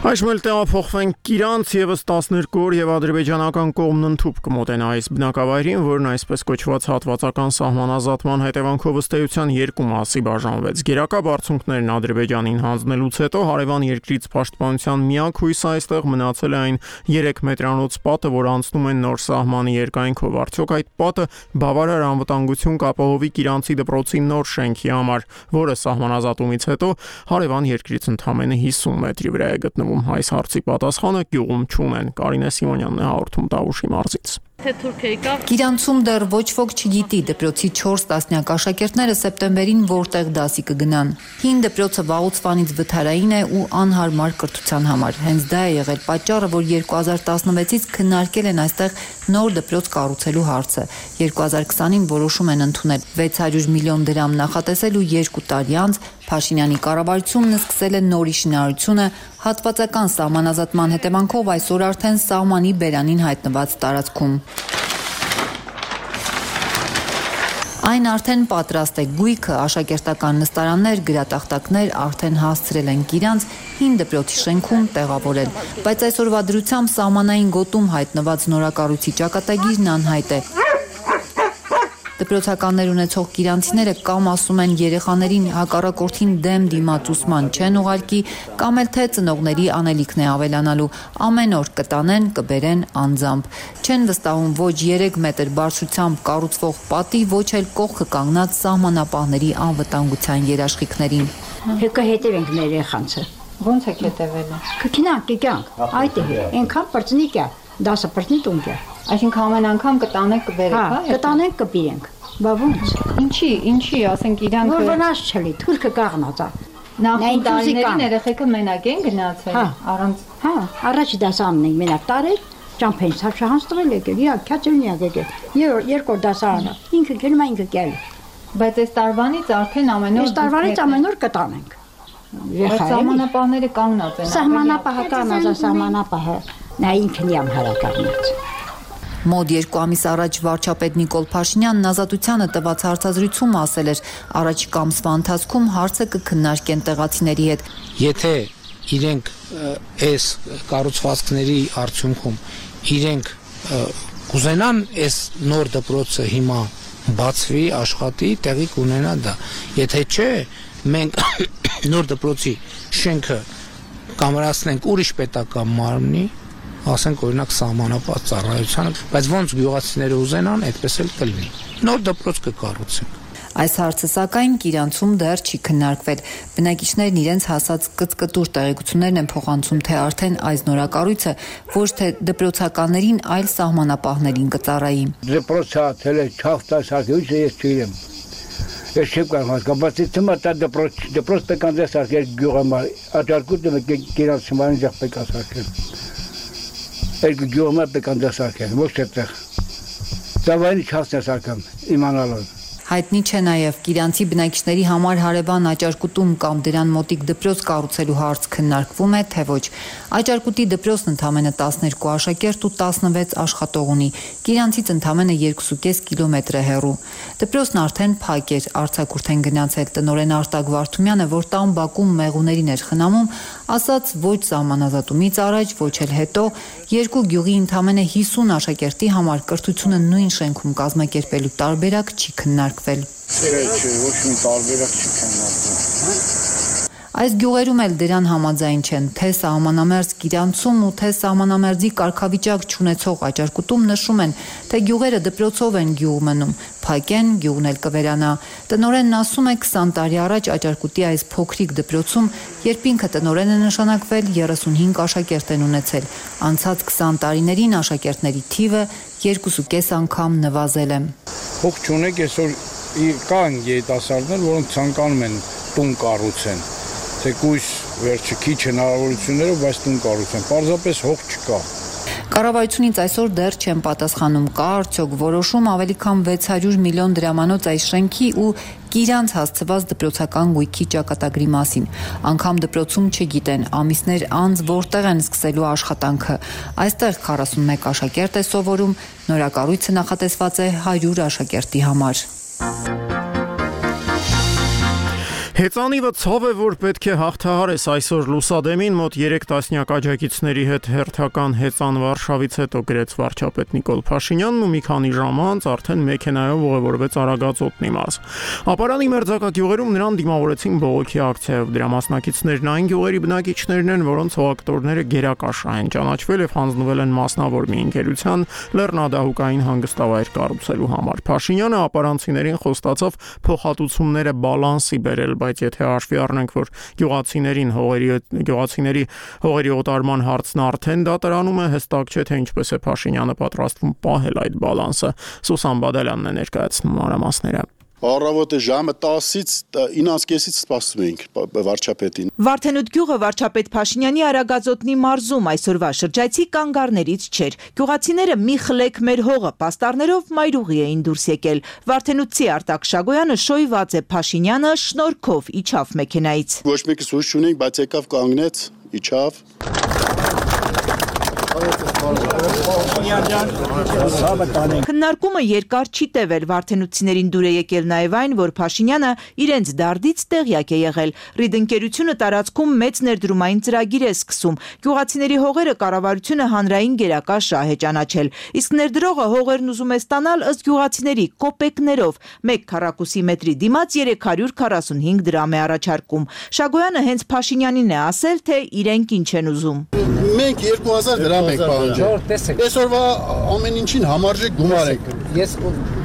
Այժմ էլ տեղափոխվենք Կիրանց, եւս 12 օր եւ ադրբեջանական կողմն ընդհուպ կմոտենա այս բնակավայրին, որն այսպես կոչված հատվածական սահմանազատման հետևանքով ըստ էության երկու մասի բաժանվեց։ Գերակա բարձունքներն Ադրբեջանին հանձնելուց հետո հարևան երկրից պաշտպանության միակ հույսը այստեղ մնացել է այն 3 մետրանոց պատը, որ անցնում են նոր սահմանի երկայնքով։ Արդյոք այդ պատը բավարար անվտանգություն կապահովի Կիրանցի դպրոցի նոր շենքի համար, որը սահմանազատումից հետո հարևան երկրից ընդամենը 50 մետրի վրա է գտնվում։ Այս հարցի պատասխանը գյուղում չունեն։ Կարինե Սիմոնյանն է հաղորդում Տավուշի մարզից։ Կիրանցում դեռ ոչ ոք չգիտի դպրոցի 4 տասնյակ աշակերտները սեպտեմբերին որտեղ դասի կգնան։ Հին դպրոցը վաղուց վանից վթարային է ու անհարմար կրթության համար։ Հենց դա է եղել պատճառը, որ 2016-ից քննարկել են այստեղ նոր դպրոց կառուցելու հարցը։ 2020-ին որոշում են ընդունել 600 միլիոն դրամ նախատեսել ու 2 տարի անց Փաշինյանի կառավարությունն սկսել է նորի շինարարությունը հատվածական սահմանազատման հետևանքով այսօր արդեն սահմանի բերանին հայտնված տարածքում։ Այն արդեն պատրաստ է, գույքը, աշակերտական նստարաններ, գրատախտակներ արդեն հասցրել են Կիրանց հին դպրոցի շենքում տեղավորել, բայց այսօրվա դրությամբ սահմանային գոտում հայտնված նորակառույցի ճակատագիրն անհայտ է։ Դպրոցականներ ունեցող կիրանցիները կամ ասում են երեխաներին հակառակորդին դեմ դիմացուսման չեն ուղարկի, կամ էլ թե ծնողների անելիքն է ավելանալու, ամեն օր կտանեն, կբերեն անձամբ։ Չեն վստահում ոչ 3 մետր բարձրությամբ կառուցվող պատի, ոչ էլ կողքը կանգնած սահմանապահների անվտանգության երաշխիքներին։ Հեկը հետևենք մեր երեխանցը։ Ոնց եք հետևել։ Կգնանք, այդ է, այնքան պրծնիկ է, 10 պրծնի տունք է։ Այսինքն ամեն անգամ կտանեք կբերեք, հա։ Կտանենք կբերենք։ Բա ոնց։ Ինչի, ասենք իրանք որ վնաս չլի, թուրքը կաղնած է։ Նախին տարիներին երեխեքը մենակ են գնացել, առանց։ Հա, առաջ դասարանն ենք մենակ տարել, ճամփեն սարշահանց տվել եկել, քյաճելնիակ եկել։ Երկրորդ դասարանը, ինքը գնում է ինքը կել։ Բայց այս տարվանից արդեն ամեն օր։ Այս տարվանից ամեն օր կտանենք։ Սահմանապահները կանգնած են։ Սահմանապահը կանգնած է, սահմանապահը նա ինքն իամ հարակառնած։ Մոտ 2 ամիս առաջ վարչապետ Նիկոլ Փաշինյանն Ազատությանը տված հարցազրույցում ասել էր, առաջիկա ամսվա ընթացքում հարցը կքննարկեն տեղացիների հետ։ Եթե իրենք այս կառուցվածքների արդյունքում իրենք կուզենան այս նոր դպրոցը հիմա բացվի, աշխատի, տեղի կունենա դա։ Եթե չէ, մենք նոր դպրոցի շենքը կամրացնենք ուրիշ պետական մարմնի, ասենք օրինակ սահմանապահ ծառայությանը, բայց ոնց գյուղացիները ուզենան, այդպես էլ կլինի։ Նոր դպրոց կկառուցենք։ Այս հարցը սակայն Կիրանցում դեռ չի քննարկվել։ Բնակիչներն իրենց հասած կծկտուր տեղեկություններն են փոխանցում, թե արդեն այս նորակառույցը ոչ թե դպրոցականներին, այլ սահմանապահներին կծառայի։ Դպրոցը թել է չախտասակույց ես չիրեմ։ Ես չեմ կարող հասկանալ, բայց դա դպրոց պետք է սարքել գյուղամա, աջարկուտը Կիրանցի ձախ պետք է սարքել։ Այդ գյուղամա պետք է սարքել, ոչ այդտեղ։ Ծավալի չհասնես սարքամ, իմանալով։ Հայտնի չէ նաև Կիրանցի բնակիչների համար հարևան Աճարկուտում կամ դրան մոտիկ դպրոց կառուցելու հարց քննարկվում է, թե ոչ։ Աճարկուտի դպրոցն ընդամենը 12 աշակերտ ու 16 աշխատող ունի։ Կիրանցից ընդամենը 2.5 կիլոմետր է հեռու։ Դպրոցն արդեն փակ էր, արձակուրդ են գնացել տնօրեն Արտակ Վարդումյանը, որ տան բակում մեղուներին էր խնամում, ասաց ոչ սահմանազատումից առաջ, ոչ էլ հետո, երկու գյուղի ընդամենը 50 աշակերտի համար կրթությունը նույն շենքում կազմակերպելու տարբերակ չի քննարկվել։ Ոչ մի տարբերակ չի քննարկվել։ Այս գյուղերում էլ դրան համաձայն չեն, թե սահմանամերձ Կիրանցում ու թե սահմանամերձի կարգավիճակ չունեցող Աճարկուտում նշում են, թե գյուղերը դպրոցով են գյուղ մնում, փակ են, գյուղն էլ կվերանա։ Տնօրենն ասում է 20 տարի առաջ Աճարկուտի այս փոքրիկ դպրոցում, երբ ինքը տնօրեն է նշանակվել, 35 աշակերտ են ունեցել։ Անցած 20 տարիներին աշակերտների թիվը 2.5 անգամ նվազել է։ Փոք չունեք, այսօր կան երիտասարդներ, որոնք ցանկանում են տուն կառուցեն։ Թեկուզ վերջը քիչ հնարավորություններով, բայց տուն կառուցեն, պարզապես հող չկա։ Կառավարությունից այսօր դեռ չեն պատասխանում, կա արդյոք որոշում ավելի քան 600 միլիոն դրամանոց այս շենքի ու Կիրանց հասցված դպրոցական գույքի ճակատագրի մասին։ Անգամ դպրոցում չգիտեն, ամիսներ անց որտեղ են սկսելու աշխատանքը։ Այստեղ 41 աշակերտ է սովորում, նորակառույցը նախատեսված է 100 աշակերտի համար։ Հեծանիվը ցավ է, որ պետք է հաղթահարես այսօր լուսադեմին մոտ 3 տասնյակ աջակիցների հետ հերթական հեծան Վարշավից հետո գրեց վարչապետ Նիկոլ Փաշինյանն ու մի քանի ժամ անց արդեն մեքենայով ուղևորվեց Արագածոտնի մարզ։ Ապարանի մերձակա գյուղերում նրան դիմավորեցին բողոքի ակցիայով։ Դրա մասնակիցներն այն գյուղերի բնակիչներն են, որոնց հողակտորները գերակաշռ են ճանաչվել եւ հանձնվել են մասնավոր մի ընկերության լեռնադահուկային հանգստավայր կառուցելու համար։ Փաշինյանը ապարանցիներին խոստացավ փոխհատուցումները բալանսի բերել, բայց եթե հաշվի առնենք, որ գյուղացիների հողերի օտարման հարցն արդեն դատարանում է, հստակ չէ, թե ինչպես է Փաշինյանը պատրաստվում պահել այդ բալանսը։ Սուսան Բադալյանն է ներկայացնում մանրամասները։ Առավոտը ժամը 10-ից 9:30-ից սպասում էինք վարչապետին։ Վարդենուտ գյուղը վարչապետ Փաշինյանի Արագածոտնի մարզում այսօրվա շրջայցի կանգառներից չէր։ Գյուղացիները մի խլեք մեր հողը պաստառներով մայրուղի էին դուրս եկել։ Վարդենուտցի Արտակ Շագոյանը շոյված է Փաշինյանը շնորհքով իջավ մեքենայից։ Ոչ մեկը սուս չունենք, բայց եկավ կանգնեց, իջավ։ Քննարկումը երկար չի տևել, վարդենուցիներին դուր է եկել նաև այն, որ Փաշինյանը իրենց դարդից տեղյակ է եղել։ Ռիդ ընկերությունը տարածքում մեծ ներդրումային ծրագիր է սկսում։ Գյուղացիների հողերը կառավարությունը հանրային գերակա շահ է ճանաչել։ Իսկ ներդրողը հողերն ուզում է ստանալ ըստ գյուղացիների կոպեկներով։ 1 քառակուսի մետրի դիմաց 345 դրամ է առաջարկում։ Շագոյանը հենց Փաշինյանին է ասել, թե իրենք ինչ են ուզում։ Մենք 2000 դրամ ենք պահանջել։ Այսօրվա ամեն ինչին համարժեք գումար ենք։ Ես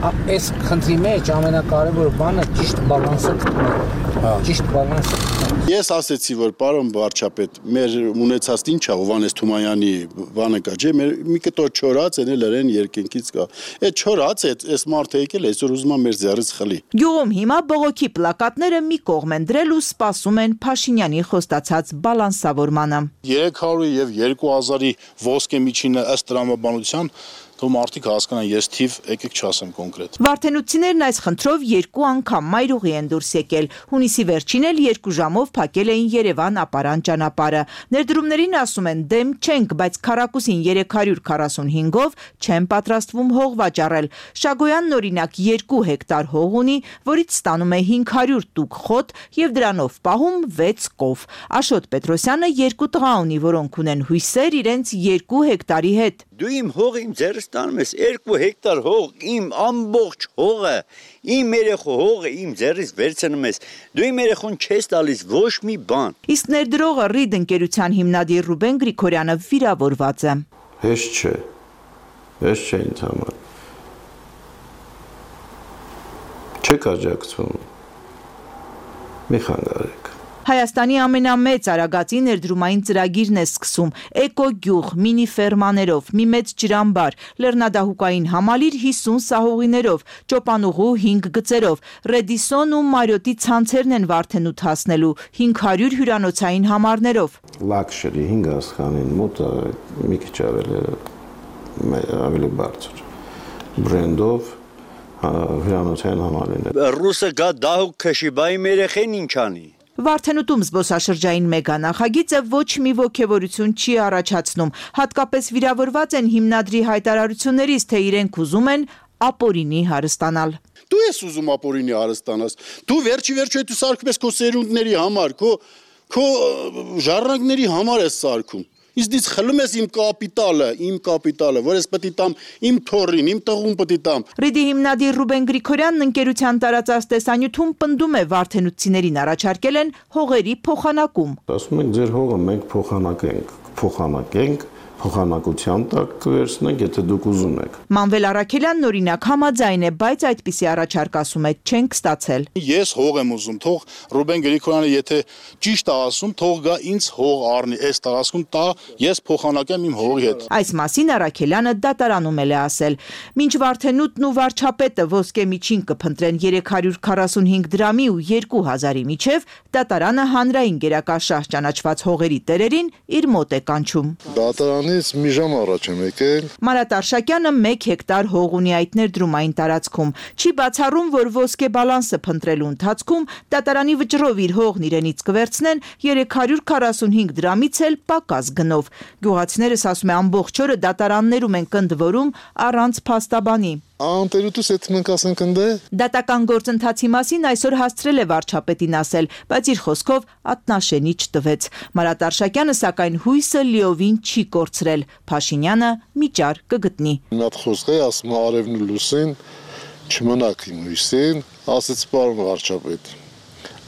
այս խնդրի մեջ ամենակարևոր բանը ճիշտ բալանսը գտնել։ Ճիշտ բալանսը։ Ես ասեցի, որ պարոն վարչապետ, մեր ունեցած ինչա Հովհաննես Թումանյանի բանը կա, չէ, մեր մի կտոր չորած են լրեն երկինքից կա։ Այդ չորած է, այս մարդը եկել այսօր ուզում է մեր ձեռից խլի։ Գյուղում հիմա բողոքի պլակատները մի կողմ են դրել ու սպասում են Փաշինյանի խոստացած բալանսավորմանը։ 300 եւ 2000-ի ոսկե միջինը ըստ տրամաբանության Թող մարդիկ հասկանան, ես թիվ եկեք չասեմ կոնկրետ։ Վարդենուցիներն այս խնդրով 2 անգամ մայրուղի են դուրս եկել։ Հունիսի վերջին էլ 2 ժամով փակել էին Երևան-Ապարան ճանապարհը։ Ներդրումներին ասում են դեմ չենք, բայց քառակուսին 345-ով չեն պատրաստվում հող վաճառել։ Շագոյանն օրինակ 2 հեկտար հող ունի, որից ստանում է 500 տուկ խոտ եւ դրանով պահում 6 կով։ Աշոտ Պետրոսյանը 2 տղա ունի, որոնք ունեն հույսեր իրենց 2 հեկտարի հետ։ Դու իմ հողը իմ ձեռս տանում ես 2 հեկտար հող, իմ ամբողջ հողը, իմ երեխու հողը իմ ձեռից վերցնում ես։ Դու իմ երեխուն չես տալիս ոչ մի բան։ Իսկ ներդրողը Ռիդ ընկերության հիմնադիր Ռուբեն Գրիգորյանը վիրավորված է։ Հեշտ չէ ինձ համար։ Չեք աջակցում։ Մի խանգարեք։ Հայաստանի ամենամեծ արագածի ներդրումային ծրագիրն է սկսում էկոգյուղ, մինի ֆերմաներով, մի մեծ ջրամբար, լեռնադահուկային համալիր 50 սահողիներով, ճոպանուղու 5 գծերով, Ռեդիսոն ու Մարիոտի ցանցերն են Վարդենուտ հասնելու 500 հյուրանոցային համարներով։ Լաքշերի 5 աստղանին մոտ մի քիչ ավելի բարձր բրենդով հյուրանոցային համալիրներ։ Ռուսը գա դահուկ քշի, բայ երեխեն ինչ անի։ Վարդենուտում զբոսաշրջային մեգանախագիծը ոչ մի ոգևորություն չի առաջացնում, հատկապես վիրավորված են հիմնադրի հայտարարություններից, թե իրենք ուզում են ապօրինի հարստանալ։ Դու ես ուզում ապօրինի հարստանաս, դու վերջի հետ ու սարքում ես քո սերունդների համար, քո ժառանգների համար ես սարքում։ Իսկ դից խլում ես իմ կապիտալը, որ ես պետք է տամ իմ թորին, իմ տղուն պետք է տամ։ Ռիդի հիմնադիր Ռուբեն Գրիգորյանն ընկերության տարածած տեսանյութում պնդում է վարդենուցիներին առաջարկել են հողերի փոխանակում։ Ասում ենք ձեր հողը մենք փոխանակենք, փոխանակության տակ կվերցնենք, եթե դուք ուզում եք։ Մանվել Արաքելյանն օրինակ համաձայն է, բայց այդպիսի առաջարկ ասում է չենք ստացել։ Ես հող եմ ուզում, թող Ռուբեն Գրիգորյանը եթե ճիշտ է ասում, թող գա ինձ հող առնի, այս տարածքում տա, ես փոխանակեմ իմ հողի հետ։ Այս մասին Արաքելյանը դատարանում է ասել։ Մինչ Վարդենուտն ու վարչապետը ոսկե միջին կփնտրեն 345 դրամի ու 2000-ի միջև, դատարանը հանրային գերակա շահ ճանաչված հողերի տերերին իր մոտ է կանչում։ Դատարանից մի ժամ առաջ եմ եկել։ Մարատ Արշակյանը 1 հեկտար հող ունի այդ ներդրումային տարածքում։ Չի բացառում, որ ոսկե բալանսը փնտրելու ընթացքում դատարանի վճռով իր հողն իրենից կվերցնեն 345 դրամից էլ պակաս գնով։ Գյուղացիներս ասում է ամբողջ օրը դատարաններում են կնդվորում առանց փաստաբանի։ Անտերուտուս հետ մենք ասենք ընդե։ Դատական գործընթացի մասին այսօր հասցրել է վարչապետին ասել, բայց իր խոսքով ատնաշենի չտվեց։ Մարատ Արշակյանը սակայն հույսը լիովին չի կորցրել։ Փաշինյանը միջար կգտնի։ Մի հատ խոսք է ասում արևն ու լուսին, չմնաք իմ հույսին, ասեց պարոն վարչապետ։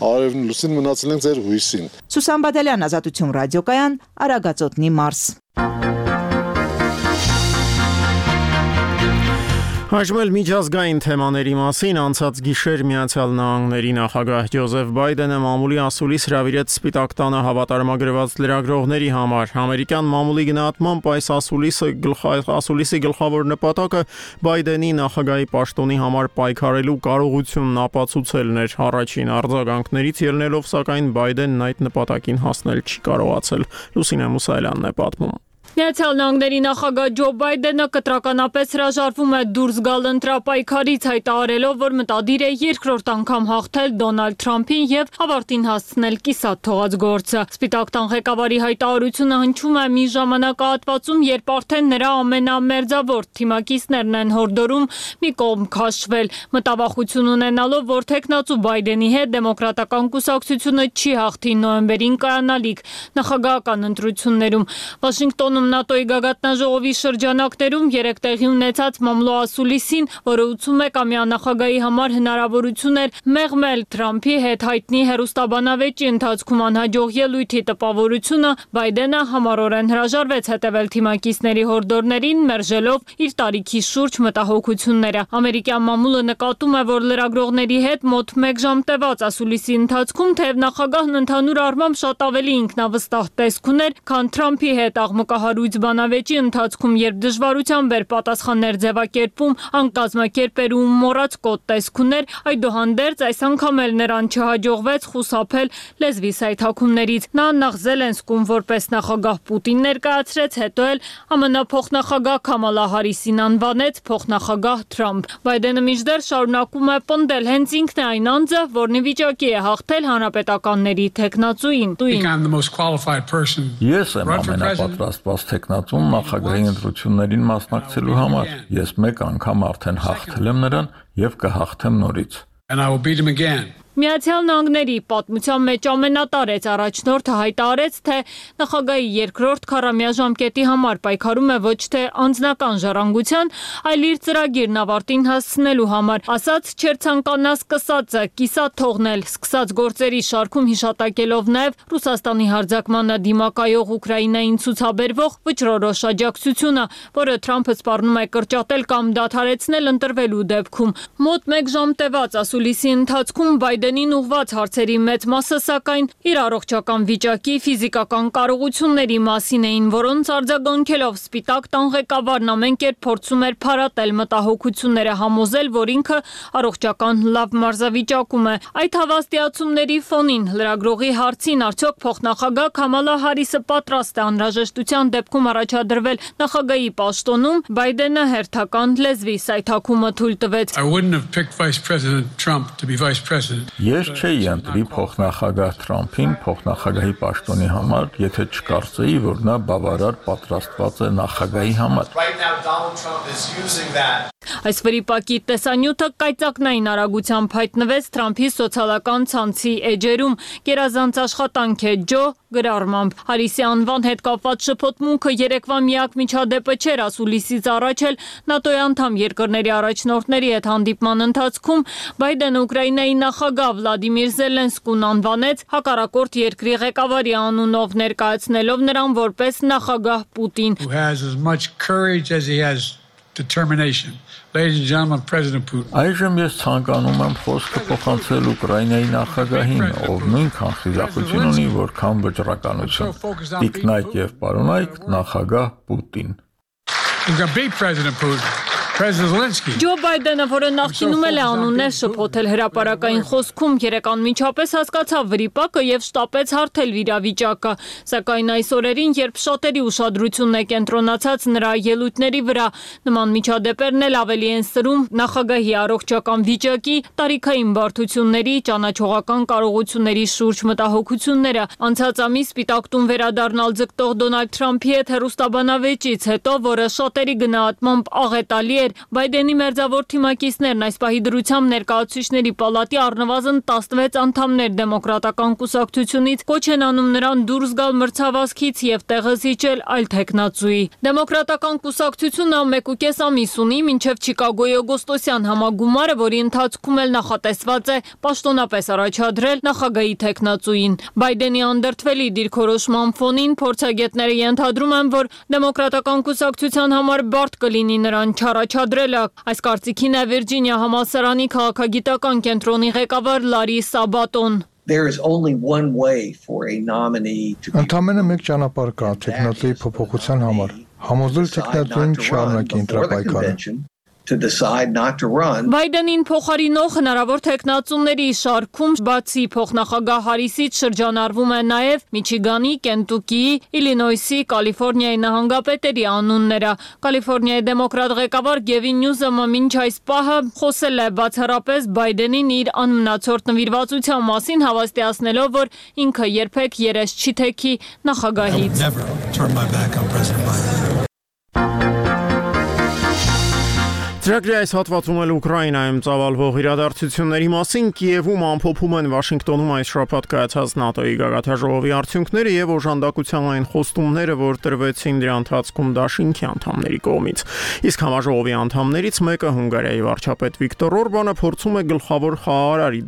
Արևն ու լուսին մնացել են ձեր հույսին։ Սուսան Բադալյան, Ազատություն ռադիոկայան, Արագածոտնի մարզ։ Հաշվել միջազգային թեմաների մասին անցած գիշեր Միացյալ Նահանգների նախագահ Ջոզեֆ Բայդենը մամուլի ասուլիս հրավիրեց Սպիտակ տանը հավատարմագրված լրագրողների համար։ Ամերիկյան մամուլի գնահատմամբ այս ասուլիսի գլխավոր նպատակը Բայդենի նախագահի պաշտոնի համար պայքարելու կարողությունն ապացուցելն էր։ Առաջին արձագանքներից ելնելով, սակայն Բայդենն այդ նպատակին հասնել չի կարողացել։ Լուսինե Մուսայելյանն է պատմում։ Միացյալ Նահանգների նախագահ Ջո Բայդենը կտրականապես հրաժարվում է դուրս գալ ընտրապայքարից, հայտարարելով, որ մտադիր է երկրորդ անգամ հաղթել Դոնալդ Թրամփին եւ ավարտին հասցնել կիսատ թողած գործը։ Սպիտակ տան ղեկավարի հայտարարությունը հնչում է մի ժամանակահատվածում, երբ արդեն նրա ամենամերձավոր թիմակիցներն են հորդորում մի կողմ քաշվել, մտավախություն ունենալով, որ թեկնածու Բայդենի հետ դեմոկրատական կուսակցությունը չի հաղթի նոյեմբերին կայանալիք նախագահական ընտրություններում։ Վաշինգտոնում ՆԱՏՕ-ի գագաթնաժողովի շրջանակներում երեկ տեղի ունեցած մամլոասուլիսին, որը 81-ամյա նախագահի համար հնարավորություն էր մեղմել Թրամփի հետ հայտնի հեռուստաբանավեճի ընթացքում անհաջող ելույթի տպավորությունը, Բայդենը համառորեն հրաժարվեց հետևել թիմակիցների հորդորներին, մերժելով իր տարիքի շուրջ մտահոգությունները։ Ամերիկյան մամուլը նկատում է, որ լրագրողների հետ մոտ 1 ժամ տևած ասուլիսի ընթացքում թեև նախագահն ընդհանուր առմամբ շատ ավելի ինքնավստահ տեսք ուներ, քան Թրամփի հետ աղմկահարույց բանավեճի ընթացքում, երբ դժվարությամբ էր պատասխաններ ձևակերպում, անկազմակերպեր ու մոռացկոտ տեսք ուներ, այդուհանդերձ այս անգամ էլ նրան չհաջողվեց խուսափել լեզվի սայթաքումներից։ Նա նախ Զելենսկուն որպես նախագահ Պուտին ներկայացրեց, հետո էլ ԱՄՆ փոխնախագահ Քամալա Հարիսին անվանեց փոխնախագահ Թրամփ։ Բայդենը մինչդեռ շարունակում է պնդել, հենց ինքն է այն անձը, որն ի վիճակի է հաղթել հանրապետականների թեկնածուին։ Ես եմ ամենապատրաստված թեկնածուն նախագահի ընտրություններին մասնակցելու համար։ Ես մեկ անգամ արդեն հաղթել եմ նրան եւ կհաղթեմ նորից։ Միացյալ Նահանգների պատմության մեջ ամենատարեց առաջնորդը հայտարարեց, թե նախագահի երկրորդ քառամյա ժամկետի համար պայքարում է ոչ թե անձնական ժառանգության, այլ իր ծրագիրն ավարտին հասցնելու համար։ Ասաց, չէր ցանկանա սկսածը կիսատ թողնել, սկսած գործերի շարքում հիշատակելով նաև Ռուսաստանի հարձակմանը դիմակայող Ուկրաինային ցուցաբերվող վճռորոշ աջակցությունը, որը Թրամփը սպառնում է կրճատել կամ դադարեցնել ընտրվելու դեպքում։ Մոտ 1 ժամ տևած ասուլիսի ընթացքում Բայդենին ուղված հարցերի մեծ մասը սակայն իր առողջական վիճակի, ֆիզիկական կարողությունների մասին էին, որոնց արձագանքելով Սպիտակ տան ղեկավարն ամեն կերպ փորձում էր փարատել մտահոգությունները, համոզել, որ ինքը առողջական լավ մարզավիճակում է։ Այդ հավաստիացումների ֆոնին լրագրողի հարցին արդյոք փոխնախագահ Քամալա Հարիսը պատրաստ է անհրաժեշտության դեպքում առաջադրվել նախագահի պաշտոնում, Բայդենը հերթական լեզվի սայթաքումը թույլ տվեց։ Ես չէի ընտրի փոխնախագահ Թրամփին փոխնախագահի պաշտոնի համար, եթե չկարծեի, որ նա բավարար պատրաստված է նախագահի համար։ Այս վրիպակի տեսանյութը կայծակնային արագությամբ հայտնվեց Թրամփի սոցիալական ցանցի էջերում։ Գերազանց աշխատանք է Ջո գրառմամբ։ Հարիսի անվան հետ կապված շփոթմունքը երեկվա միակ միջադեպը չէր, ասուլիսից առաջ էլ ՆԱՏՕ-ի անդամ երկրների առաջնորդների հետ հանդիպման ընթացքում Բայդենը Ուկրաինայի նախագահ Վլադիմիր Զելենսկուն անվանեց հակառակորդ երկրի ղեկավարի անունով, ներկայացնելով նրան որպես նախագահ Պուտին։ Այժմ ես ցանկանում եմ խոսքը փոխանցել Ուկրաինայի նախագահին, ով նույնքան խիզախություն ունի, որքան վճռականություն։ Տիկնայք եւ պարոնայք նախագահ Պուտին։ Ջո Բայդենը, որը նախկինում էլ է անուններ շփոթել հրապարակային խոսքում, երեկ անմիջապես հասկացավ վրիպակը եւ շտապեց հարթել իրավիճակը, սակայն այս օրերին, երբ շատերի ուշադրությունն է կենտրոնացած նրա ելույթների վրա, նման միջադեպերն էլ ավելի են սրում նախագահի առողջական վիճակի, տարիքային բարդությունների, ճանաչողական կարողությունների շուրջ մտահոգությունները։ Անցած ամիս Սպիտակ տուն վերադառնալ ձգտող Դոնալդ Թրամփի հետ հեռուստաբանավեճից հետո, որը շատերի գնահատմամբ աղետալի Բայդենի մերձավոր թիմակիցներն այս պահի դրությամբ ներկայացուցիչների պալատի առնվազն 16 անդամներ դեմոկրատական կուսակցությունից կոչ են անում նրան դուրս գալ մրցավազքից եւ տեղը զիջել այլ թեկնածուի։ Դեմոկրատական կուսակցությունը 1.5 ամիս ունի մինչեւ Չիկագոյի օգոստոսյան համագումարը, որի ընթացքում էլ նախատեսված է պաշտոնապես առաջադրել նախագահի թեկնածուին։ Բայդենի անդրդվելի դիրքորոշման ֆոնին փորձագետները ենթադրում են, որ դեմոկրատական կուսակցության համար բարդ կլինի նրան չառաջադրելը։ Այս կարծիքին է Վիրջինիա համալսարանի քաղաքագիտական կենտրոնի ղեկավար Լարի Սաբատոն։ Ընդամենը մեկ ճանապարհ կա թեկնածուի փոփոխության համար։ Համոզել թեկնածուին չառնակի ընտրապայքարը։ Բայդենին փոխարինող հնարավոր թեկնածուների շարքում բացի փոխնախագահ Հարիսից շրջանառվում է նաև Միչիգանի, Կենտուկիի, Իլինոյսի, Կալիֆոռնիայի նահանգապետերի անունները։ Կալիֆոռնիայի դեմոկրատ ղեկավար Գևին Նյուզոմը մինչ այս պահը խոսել է բացառապես Բայդենին իր անմնացորդ նվիրվածության մասին, հավաստիացնելով, որ ինքը երբեք երես չի թեքի նախագահից։ Ծրագրի այս հատվածում էլ Ուկրաինայում ծավալվող իրադարձությունների մասին Կիևում ամփոփում են Վաշինգտոնում այս շաբաթ կայացած ՆԱՏՕ-ի գագաթնաժողովի արդյունքները եւ օժանդակության այն խոստումները, որ տրվեցին դրա ընթացքում Դաշինքի անդամների կողմից։ Իսկ համաժողովի անդամներից մեկը Հունգարիայի վարչապետ Վիկտոր Օրբանը փորձում է գլխավոր խաղարարի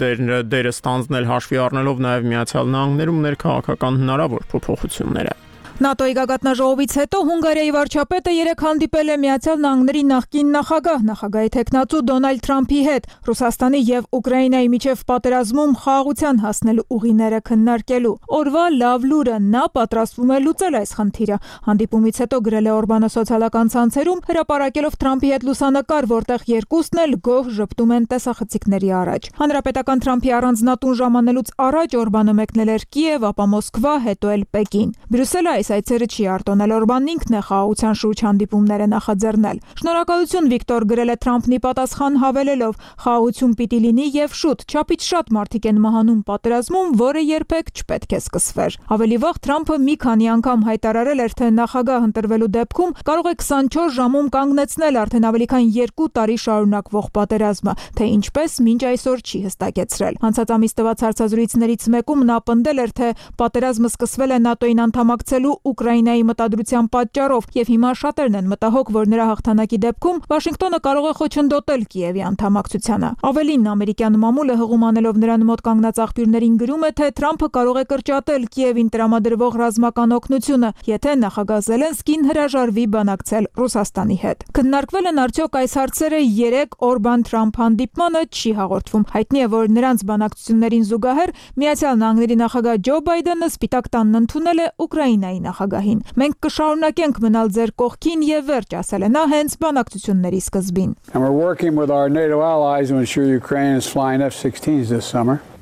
դերը ստանձնել հաշվի առնելով նաեւ Միացյալ Նահանգներում ներքաղաքական հնարավոր փոփոխությունները։ ՆԱՏՕ-ի գագաթնաժողովից հետո Հունգարիայի վարչապետը երեկ հանդիպել է Միացյալ Նահանգների նախկին նախագահի թեկնածու Դոնալդ Թրամփի հետ Ռուսաստանի եւ Ուկրաինայի միջև պատերազմում խաղաղության հասնելու ուղիները քննարկելու։ Օրվա լավ լուրը նա պատրաստվում է լուծել այս խնդիրը։ Հանդիպումից հետո գրել է Օրբանը սոցիալական ցանցերում, հրապարակելով Թրամփի հետ լուսանկար, որտեղ երկուսն էլ գոհ ժպտում են տեսախցիկների առաջ։ Հանրապետական Թրամփի առանձնատուն ժամանելուց առաջ Օրբանը մեկնել էր Կիև, ապա Մոսկվա, հետո էլ Պեկին։ Բրյուսելը այս այցերը չի արտոնել, Օրբանն ինքն է խաղաղության շուրջ հանդիպումները նախաձեռնել։ Շնորհակալություն Վիկտոր գրել է Թրամփն ի պատասխան հավելելով. խաղաղություն պիտի լինի եւ շուտ, չափից շատ մարդիկ են մահանում պատերազմում, որը երբեք չպետք է սկսվեր։ Ավելի վաղ Թրամփը մի քանի անգամ հայտարարել էր, թե նախագահ ընտրվելու դեպքում կարող է 24 ժամում կանգնեցնել արդեն ավելի քան 2 տարի շարունակվող պատերազմը, թե ինչպես մինչ այսօր չի հստակեցրել։ Անցած ամիս տված հարցազրույցներից մեկում նա պնդել էր, թե պատերազմը սկսվել է ՆԱՏՕ-ին անդամակցելու Ուկրաինայի մտադրության պատճառով եւ հիմա շատերն են մտահոգ, որ նրա հաղթանակի դեպքում Վաշինգտոնը կարող է խոչընդոտել Կիևի անդամակցությանը։ Ավելին, ամերիկյան մամուլը հղում անելով նրան մոտ կանգնած աղբյուրներին գրում է, թե Թրամփը կարող է կրճատել Կիևին տրամադրվող ռազմական օգնությունը, եթե նախագահ Զելենսկին հրաժարվի բանակցել Ռուսաստանի հետ։ Քննարկվել են արդյոք այս հարցերը 3 Օրբան-Թրամփ հանդիպմանը չի հաղորդվում։ Հայտնի է, որ նրանց բանակցություններին զուգահեռ Միացյալ Նահանգների նախագահ Ջո Բայդենը Սպիտակ տանն ընդունել է Ուկրաինայի նախագահին։ Մենք կշարունակենք մնալ ձեր կողքին եւ վերջ, ասել է նա հենց բանակցությունների սկզբին։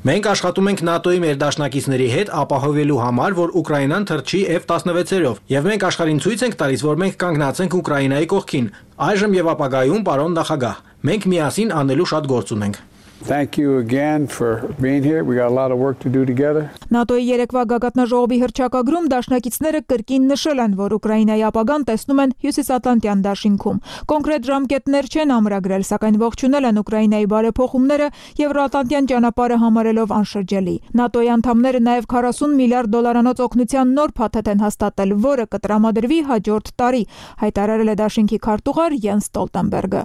Մենք աշխատում ենք ՆԱՏՕ-ի մեր դաշնակիցների հետ ապահովելու համար, որ Ուկրաինան թռչի F-16-երով, եւ մենք աշխարհին ցույց ենք տալիս, որ մենք կանգնած ենք Ուկրաինայի կողքին, այժմ եւ ապագայում, պարոն նախագահ։ Մենք միասին անելու շատ գործ ունենք։ Thank you again for being here. We got a lot of work to do together. ՆԱՏՕ-ի երեկվա գագաթնաժողովի հռչակագրում դաշնակիցները կրկին նշել են, որ Ուկրաինայի ապագան տեսնում են Հյուսիսատլանտյան դաշինքում։ Կոնկրետ ժամկետներ չեն ամրագրել, սակայն ողջունել են Ուկրաինայի բարեփոխումները Եվրոատլանտյան ճանապարհը համարելով անշրջելի։ ՆԱՏՕ-ի անդամները նաև 40 միլիարդ դոլարանոց օգնության նոր փաթեթ են հաստատել, որը կտրամադրվի հաջորդ տարի, հայտարարել է դաշինքի քարտուղար Յենս Ստոլտենբերգը։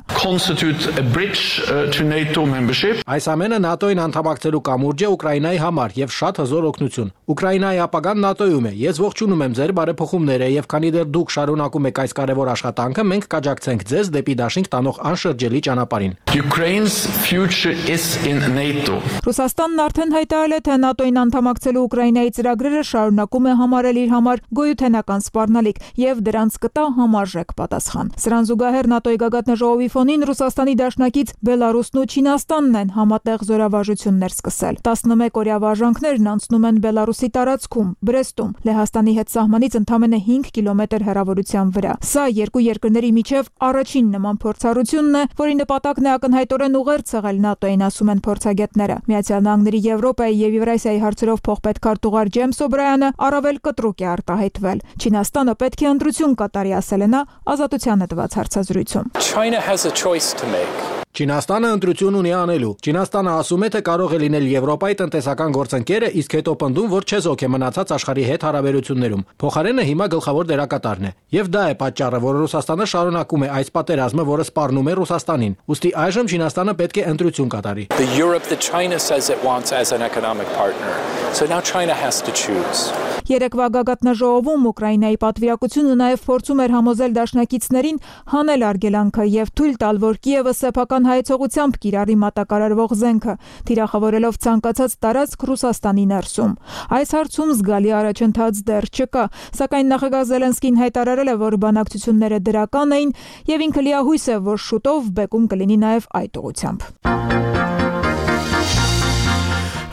Այս ամենը ՆԱՏՕ-ին անդամակցելու կամուրջ է Ուկրաինայի համար եւ շատ հզոր օգնություն։ Ուկրաինայի ապագան ՆԱՏՕ-ում է։ Ես ողջունում եմ ձեր բարեփոխումները եւ քանի դեռ դուք շարունակում եք այս կարևոր աշխատանքը, մենք կաջակցենք ձեզ դեպի դաշինք տանող անշրջելի ճանապարհին։ Ukraine's future is in NATO. Ռուսաստանն արդեն հայտարարել է, թե ՆԱՏՕ-ին անդամակցելու Ուկրաինայի ծրագրերը շարունակում է համարել իր համար գոյութենական սպառնալիք եւ դրանց կտա համարժեք պատասխան։ Սրան զուգահեռ ՆԱՏՕ-ի գագաթնաժողովի ֆոնին Ռուսաստանի դաշնակից Բելարուսն ու Չինաստանն են համատեղ զորավարժություններ սկսել։ 11-օրյա վարժանքներն անցնում են Բելարուսի տարածքում, Բրեստում, Լեհաստանի հետ սահմանից ընդամենը 5 կիլոմետր հեռավորության վրա։ Սա երկու երկրների միջև առաջին նման փորձառությունն է, որի նպատակն է ակնհայտորեն ուղերձ ցեղել ՆԱՏՕ-ին, ասում են փորձագետները։ Միացյալ Նահանգների Եվրոպայի եւ Եվրասիայի հարցերով փոխպետ քարտուղար Ջեյմս Օբրայանը առավել կտրուկ է արտահայտվել։ Չինաստանը պետք է ընտրություն կատարի, ասել է նա ազատությանը տված հարցազրույցում։ China has a choice to make. Չինաստանը ընտրություն ունի անելու։ Չինաստանը ասում է, թե կարող է լինել Եվրոպայի տնտեսական գործընկերը, իսկ հետո պնդում, որ չեզոք է մնացած աշխարհի հետ հարաբերություններում։ Փոխարենը հիմա գլխավոր դերակատարն է։ Եվ դա է պատճառը, որ Ռուսաստանը շարունակում է այս պատերազմը, որը սպառնում է Ռուսաստանին։ Ուստի այժմ Չինաստանը պետք է ընտրություն կատարի։ The Europe that China says it wants as an economic partner. So now China has to choose. Երեկվա գագաթնաժողովում Ուկրաինայի պատվիրակությունը նաև փորձում էր համոզել դաշնակիցներին հանել արգելանքը եւ թույլ տալ, որ Կիևը սեփական հայեցողությամբ կիրառի մատակարարվող զենքը, թիրախավորելով ցանկացած տարածք Ռուսաստանի ներսում։ Այս հարցում զգալի առաջընթաց դեռ չկա, սակայն նախագահ Զելենսկին հայտարարել է, որ բանակցությունները դրական էին եւ ինքը լիահույս է, որ շուտով բեկում կլինի նաև այդ ուղղությամբ։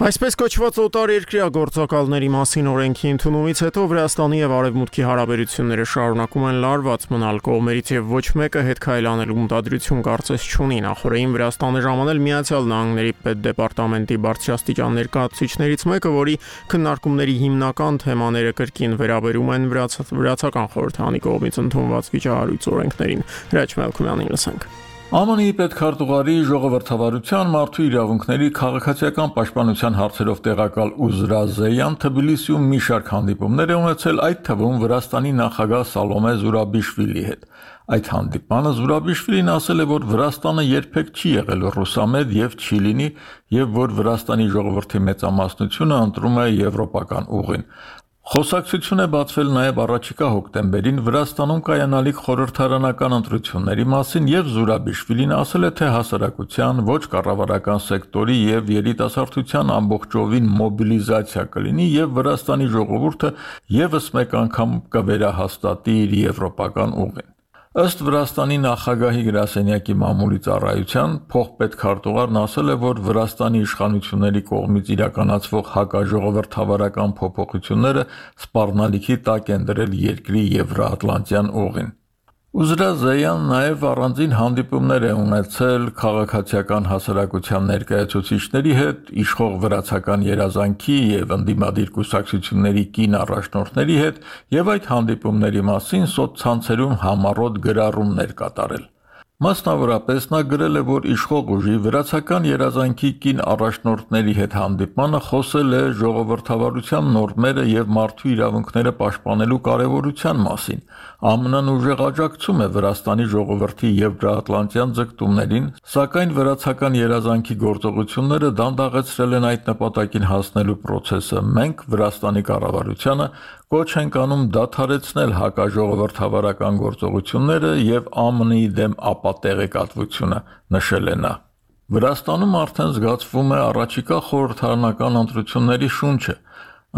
Այսպես կոչված օտար երկրյա գործակալների մասին օրենքի ընդունումից հետո Վրաստանի եւ Արևմուտքի հարաբերությունները շարունակում են լարված մնալ, կողմերից եւ ոչ մեկը հետ քայլանելու մտադրություն կարծես չունի։ Նախորդին Վրաստանը ժամանել Միացյալ Նահանգների պետդեպարտամենտի բարձրաստիճան ներկայացուցիչներից մեկը, որի քննարկումների հիմնական թեմաները կրկին վերաբերում են վրացական խորհրդարանի կողմից ընդունված վիճահարույց օրենքներին։ Հրաչ Մելքումյանին լսենք։ ԱՄՆ-ի պետքարտուղարի ժողովրդավարության մարդու իրավունքների քաղաքացիական պաշտպանության հարցերով տեղակալ Ուզրա Զեյան Թբիլիսիում մի շարք հանդիպումներ է ունեցել, այդ թվում Վրաստանի նախագահ Սալոմե Զուրաբիշվիլի հետ։ Այդ հանդիպանը Զուրաբիշվիլին ասել է, որ Վրաստանը երբեք չի եղել ռուսամետ եւ չի լինի, եւ որ Վրաստանի ժողովրդի մեծամասնությունը ընտրում է եվրոպական ուղին։ Խոսակցություն է բացվել նաև առաջիկա հոկտեմբերին Վրաստանում կայանալիք խորհրդարանական ընտրությունների մասին եւ Զուրաբիշվիլին ասել է, թե հասարակության, ոչ կառավարական սեկտորի եւ երիտասարդության ամբողջովին մոբիլիզացիա կլինի եւ Վրաստանի ժողովուրդը եւս մեկ անգամ կվերահաստատի իր եվրոպական ուղին։ Ըստ Վրաստանի նախագահի գրասենյակի մամուլի ծառայության փոխպետքարտուղարն ասել է, որ Վրաստանի իշխանությունների կողմից իրականացվող հակաժողովրդավարական փոփոխությունները սպառնալիքի տակ են դրել երկրի եվրոատլանտյան ուղին։ Ուզրա Զեյան նաև առանձին հանդիպումներ է ունեցել քաղաքացիական հասարակության ներկայացուցիչների հետ, իշխող վրացական երազանքի եւ ընդդիմադիր կուսակցությունների կին առաջնորդների հետ եւ այդ հանդիպումների մասին սոցցանցերում համառոտ գրառումներ կատարել։ Մասնավորապես նա գրել է, որ իշխող ուժի վրացական երազանքի կին առաջնորդների հետ հանդիպմանը խոսել է ժողովրդավարության նորմերը եւ մարդու իրավունքները պաշտպանելու կարեւորության մասին։ ԱՄՆ-ն ուժեղ աջակցում է Վրաստանի ժողովրդի եվրոատլանտյան ձգտումներին, սակայն վրացական երազանքի գործողությունները դանդաղեցրել են այդ նպատակին հասնելու process-ը։ Մենք Վրաստանի կառավարությանը կոչ ենք անում դադարեցնել հակաժողովրդավարական գործողությունները եւ ԱՄՆ-ի դեմ ապատեղեկատվությունը, նշել է նա։ Վրաստանում արդեն զգացվում է առաջիկա խորհրդարանական ընտրությունների շունչը։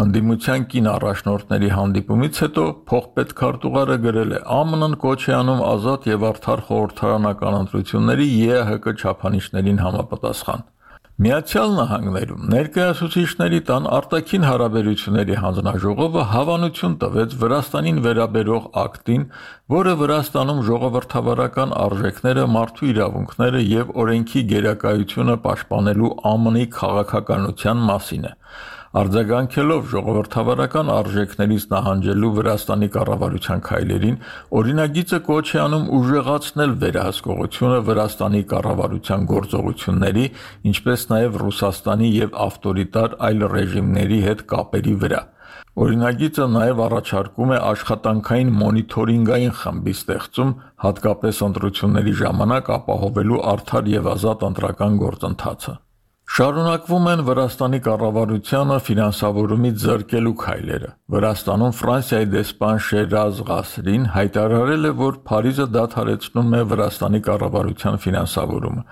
Ընդդիմության կին առաջնորդների հանդիպումից հետո փոխպետքարտուղարը գրել է. ԱՄՆ-ն կոչ է անում ազատ եւ արդար խորհրդարանական ընտրությունների ԵԱՀԿ չափանիշներին համապատասխան։ Միացյալ Նահանգներում ներկայացուցիչների տան արտաքին հարաբերությունների հանձնաժողովը հավանություն տվեց Վրաստանին վերաբերող ակտին, որը Վրաստանում ժողովրդավարական արժեքները, մարդու իրավունքները եւ օրենքի գերակայությունը պաշտպանելու ԱՄՆ-ի քաղաքականության մասին է։ Արձագանքելով ժողովրդավարական արժեքներից նահանջելու Վրաստանի կառավարության քայլերին, օրինագիծը կոչ է անում ուժեղացնել վերահսկողությունը Վրաստանի կառավարության գործողությունների, ինչպես նաև Ռուսաստանի եւ ավտորիտար այլ ռեժիմների հետ կապերի վրա։ Օրինագիծը նաև առաջարկում է աշխատանքային մոնիթորինգային խմբի ստեղծում, հատկապես ընտրությունների ժամանակ ապահովելու արդար եւ ազատ ընտրական գործընթացը։ Շարունակվում են Վրաստանի կառավարությանը ֆինանսավորումից զրկելու քայլերը։ Վրաստանում Ֆրանսիայի դեսպան Շերազ Ղասրին հայտարարել է, որ Փարիզը դադարեցնում է Վրաստանի կառավարության ֆինանսավորումը։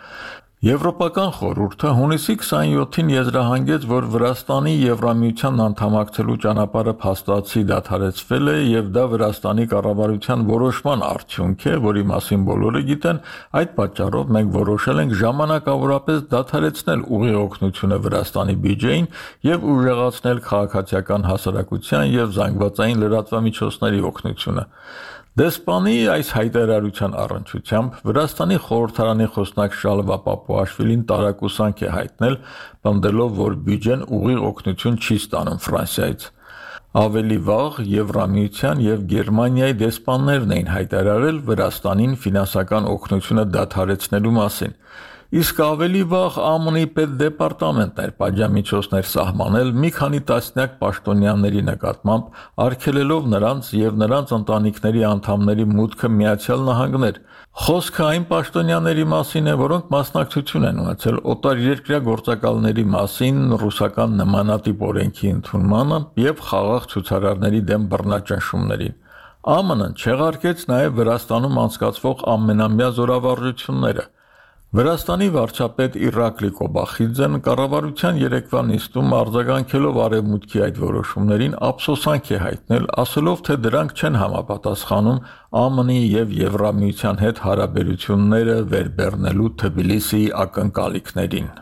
Եվրոպական խորհուրդը հունիսի 27-ին եզրահանգեց, որ Վրաստանի Եվրամիության անդամակցելու ճանապարհը փաստացի դադարեցվել է եւ դա Վրաստանի կառավարության որոշման արդյունք է, որի մասին բոլորը գիտեն, այդ պատճառով մենք որոշել ենք ժամանակավորապես դադարեցնել ուղիղ օգնությունը Վրաստանի բյուջեին եւ ուժեղացնել քաղաքացիական հասարակության եւ զանգվածային լրատվամիջոցների օգնությունը։ Դեսպանի այս հայտարարության առնչությամբ Վրաստանի խորհրդարանի խոսնակ Շալվա Պապուաշվիլին տարակուսանք է հայտնել, պնդելով, որ բյուջեն ուղիղ օգնություն չի ստանում Ֆրանսիայից։ Ավելի վաղ Եվրամիության եւ Գերմանիայի դեսպաններն էին հայտարարել Վրաստանին ֆինանսական օգնությունը դադարեցնելու մասին։ Իսկ ավելի վաղ ԱՄՆ-ի պետդեպարտամենտն էր պատժամիջոցներ սահմանել մի քանի տասնյակ պաշտոնյաների նկատմամբ, արգելելով նրանց եւ նրանց ընտանիքների անդամների մուտքը Միացյալ Նահանգներ։ Խոսքը այն պաշտոնյաների մասին է, որոնք մասնակցություն են ունեցել օտարերկրյա գործակալների մասին ռուսական նմանատիպ օրենքի ընդունմանը եւ խաղաղ ցուցարարների դեմ բռնաճնշումներին։ ԱՄՆ-ն չեղարկեց նաեւ Վրաստանում անցկացվող ամենամյա զորավարժությունները։ Վրաստանի վարչապետ Իրակլի Կոբախիձեն կառավարության երեկվա նիստում արձագանքելով արևմուտքի այդ որոշումներին ափսոսանք է հայտնել, ասելով, թե դրանք չեն համապատասխանում ԱՄՆ-ի եւ Եվրամիության հետ հարաբերությունները վերբեռնելու Թբիլիսիի ակնկալիքներին։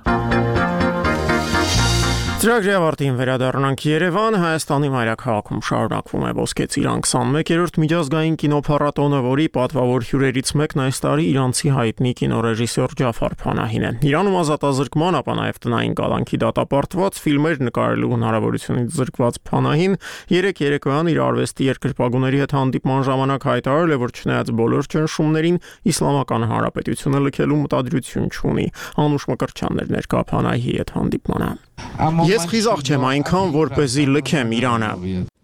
Ծրագրի ավարտին վերադառնանք Երևան, Հայաստանի մայրաքաղաքում շարունակվում է Ոսկե ծիրան 21-րդ միջազգային կինոփառատոնը, որի պատվավոր հյուրերից մեկն այս տարի իրանցի հայտնի կինոռեժիսոր Ջաֆար Փանահին է։ Իրանում ազատազրկման, ապա նաև տնային կալանքի դատապարտված ֆիլմեր նկարելու հնարավորությունից զրկված Փանահին երեք երեկոյան իր արվեստի երկրպագուների հետ հանդիպման ժամանակ հայտարարել է, որ չնայած բոլոր ճնշումներին Իսլամական Հանրապետությունը լքելու մտադրություն չունի։ Անուշ Մկրտչյանն էր ներկա Փանահիի հետ հանդիպմանը։ Ես խիզախ չեմ այնքան, որպեսզի լքեմ Իրանը։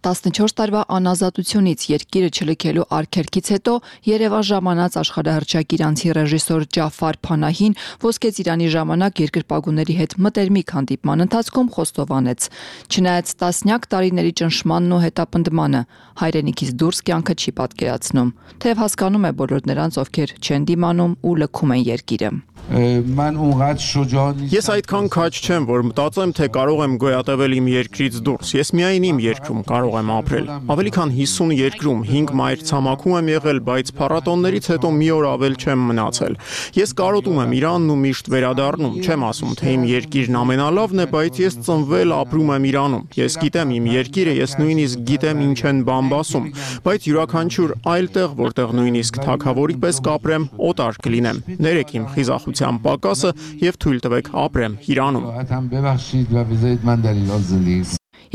14 տարվա անազատությունից երկիրը չլքելու արգելքից հետո Երևան ժամանած աշխարհահռչակ իրանցի ռեժիսոր Ջաֆար Փանահին Ոսկե ծիրանի ժամանակ երկրպագուների հետ մտերմիկ հանդիպման ընթացքում խոստովանեց. չնայած տասնյակ տարիների ճնշմանն ու հետապնդմանը, հայրենիքից դուրս կյանքը չի պատկերացնում, թեև հասկանում է բոլոր նրանց, ովքեր չեն դիմանում ու լքում են երկիրը։ Ես այդքան քաջ չեմ, որ մտածեմ, թե կարող եմ գոյատևել իմ երկրից դուրս։ Ես միայն իմ երկրում կարող եմ ապրել։ Ավելի քան 50 երկրում 5 մայրցամաքում եմ եղել, բայց փառատոններից հետո մի օր ավել չեմ մնացել։ Ես կարոտում եմ Իրանն ու միշտ վերադառնում, չեմ ասում, թե իմ երկիրն ամենալավն է, բայց ես ծնվել ապրում եմ Իրանում։ Ես գիտեմ իմ երկիրը, ես նույնիսկ գիտեմ ինչ են բամբասում, բայց յուրաքանչյուր այլ տեղ, որտեղ նույնիսկ թագավորի պես կապրեմ, օտար կլինեմ։ Ներեք իմ խիզախության պակասը եւ թույլ տվեք ապրեմ Իրանում։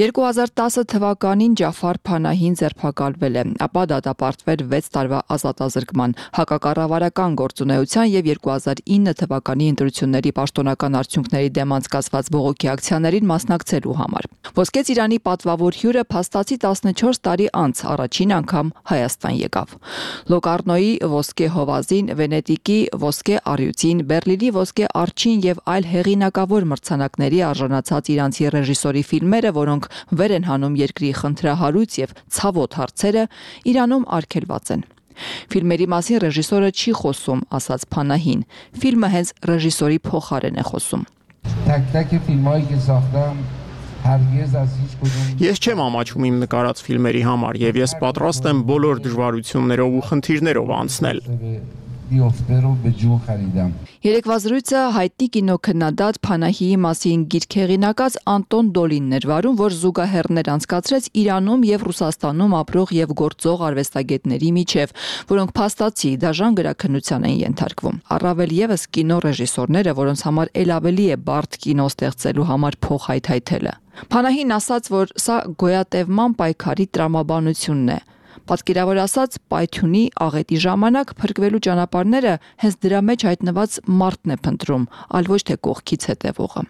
2010 թվականին Ջաֆար Փանահին ձերբակալվել է, ապա դատապարտվել 6 տարվա ազատազրկման, հակակառավարական գործունեության եւ 2009 թվականի ընտրությունների պաշտոնական արդյունքների դեմ անցկացված բողոքի ակցիաներին մասնակցելու համար։ Ոսկե ծիրանի պատվավոր հյուրը փաստացի 14 տարի անց առաջին անգամ Հայաստան եկավ։ Լոկարնոյի ոսկե հովազին, Վենետիկի ոսկե առյուծին, Բերլինի ոսկե արջին եւ այլ հեղինակավոր մրցանակների արժանացած իրանցի ռեժիսորի ֆիլմերը, որոնք վեր են հանում երկրի խնդրահարույց եւ ցավոտ հարցերը, Իրանում արգելված են։ Ֆիլմերի մասին ռեժիսորը չի խոսում, ասաց Փանահին։ Ֆիլմը հենց ռեժիսորի փոխարեն է խոսում։ Ես չեմ ամաչում իմ նկարած ֆիլմերի համար եւ ես պատրաստ եմ բոլոր դժվարություններով ու խնդիրներով անցնել։ Երեկվա զրույցը հայտնի կինոքննադատ Փանահիի մասին գիրք հեղինակած Անտոն Դոլինն էր վարում, որ զուգահեռներ անցկացրեց Իրանում եւ Ռուսաստանում ապրող եւ գործող արվեստագետների միջև, որոնք փաստացի դաժան գրաքննության են ենթարկվում։ Առավել եւս կինոռեժիսորները, որոնց համար ել ավելի է բարդ կինո ստեղծելու համար փող հայթայթելը։ Փանահին ասաց, որ սա գոյատևման պայքարի տրամաբանությունն է։ Պատկերավոր ասած, պայթյունի աղետի ժամանակ փրկվելու ճանապարհները հենց դրա մեջ հայտնված մարդն է փնտրում, այլ ոչ թե կողքից հետևողը։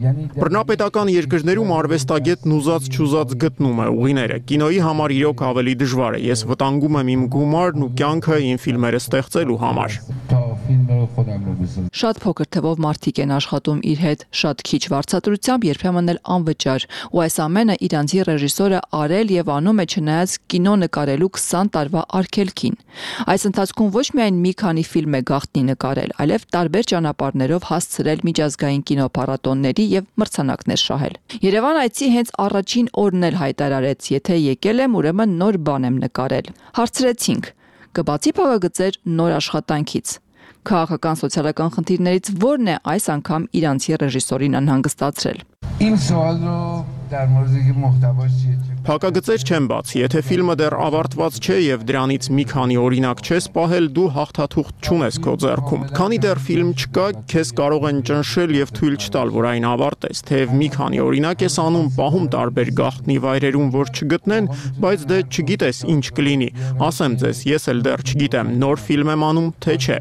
Բռնապետական երկրներում արվեստագետն ուզած-չուզած գտնում է ուղիները։ Կինոյի համար իրոք ավելի դժվար է։ Ես վտանգում եմ իմ գումարն ու կյանքը իմ ֆիլմերը ստեղծելու համար։ Շատ փոքր թվով մարդիկ են աշխատում իր հետ, շատ քիչ վարձատրությամբ, երբեմն էլ անվճար, ու այս ամենը իրանցի ռեժիսորը արել եւ անում է չնայած կինո նկարելու 20 տարվա արգելքին։ Այս ընթացքում ոչ միայն մի քանի ֆիլմ է գաղտնի նկարել, այլև տարբեր ճանապարհներով հասցրել միջազգային կինոփառատոնների եւ մրցանակներ շահել։ Երևան այցի հենց առաջին օրն էլ հայտարարեց, եթե եկել եմ, ուրեմն նոր բան եմ նկարել։ Հարցրեցինք. կբացի փակագծեր նոր աշխատանքից։ Քաղաքական սոցիալական խնդիրներից ո՞րն է այս անգամ իրանցի ռեժիսորին անհանգստացրել։ Փակագծեր չեն բացի, եթե ֆիլմը դեռ ավարտված չէ եւ դրանից մի քանի օրինակ չես պահել, դու հաղթաթուղթ չունես քո ձեռքում։ Քանի դեռ ֆիլմ չկա, քեզ կարող են ճնշել եւ թույլ չտալ, որ այն ավարտես, թեև մի քանի օրինակ ես անում, պահում տարբեր գաղտնի վայրերում, որ չգտնեն, բայց դե չգիտես ինչ կլինի։ Ասեմ ձեզ, ես էլ դեռ չգիտեմ, նոր ֆիլմ եմ անում, թե չէ։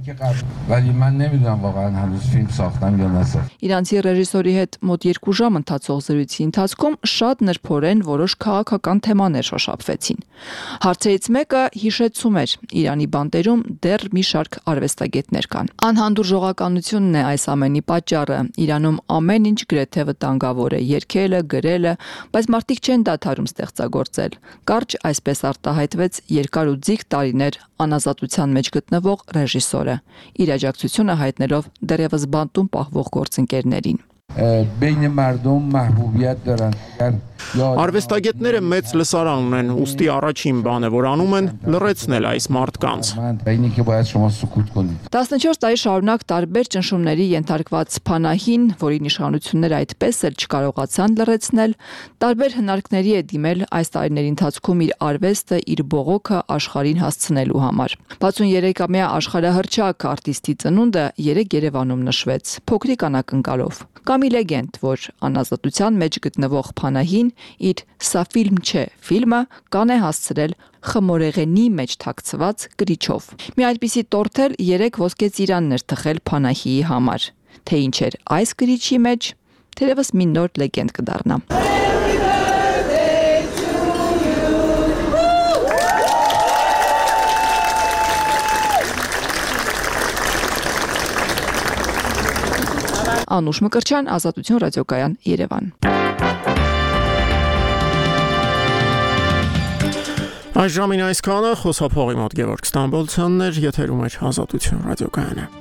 Իրանցի ռեժիսորի հետ մոտ 2 ժամ ընթացող զրույցի ընթացքում շատ նրբորեն որոշ քաղաքական թեմաներ շոշափվեցին։ Հարցերից մեկը հիշեցում էր Իրանի բանտերում դեռ մի շարք արվեստագետներ կան։ Անհանդուրժողականությունն է այս ամենի պատճառը։ Իրանում ամեն ինչ գրեթե վտանգավոր է, երգելը, գրելը, բայց մարդիկ չեն դադարում ստեղծագործել։ Կարճ այսպես արտահայտվեց երկար ու ձիգ տարիներ անազատության մեջ գտնվող ռեժիսորը, իր աջակցությունը հայտնելով դեռևս բանտում պահվող գործընկերներին։ Արվեստագետները մեծ լսարան ունեն, ուստի առաջին բանը, որ անում են, լռեցնել այս մարդկանց։ 14 տարի շարունակ տարբեր ճնշումների ենթարկված Փանահին, որի իշխանությունները այդպես էլ չկարողացան լռեցնել, տարբեր հնարքների է դիմել այս տարիների ընթացքում իր արվեստը, իր բողոքը աշխարհին հասցնելու համար։ 63-ամյա աշխարհահռչակ արտիստի ծնունդը 3 Երևանում նշվեց, փոքրիկ անակնկալով։ Կամ լեգենդ, որ անազատության մեջ գտնվող Փանահին իր «Սա ֆիլմ չէ» ֆիլմը կան է հասցրել խմորեղենի մեջ թաքցված կրիչով։ Մի այդպիսի տորթ էլ 3 ոսկե ծիրաններ թխել Փանահիի համար։ Թե ինչ էր այս կրիչի մեջ, թերևս մի նոր լեգենդ կդառնա։ Անուշ Մկրտչյան, Ազատություն ռադիոկայան, Երևան։ Այս ժամին այսքանը, խոսափողի մոտ Գևորգ Ստամբոլցյանն էր, եթերում էր Ազատություն ռադիոկայանը։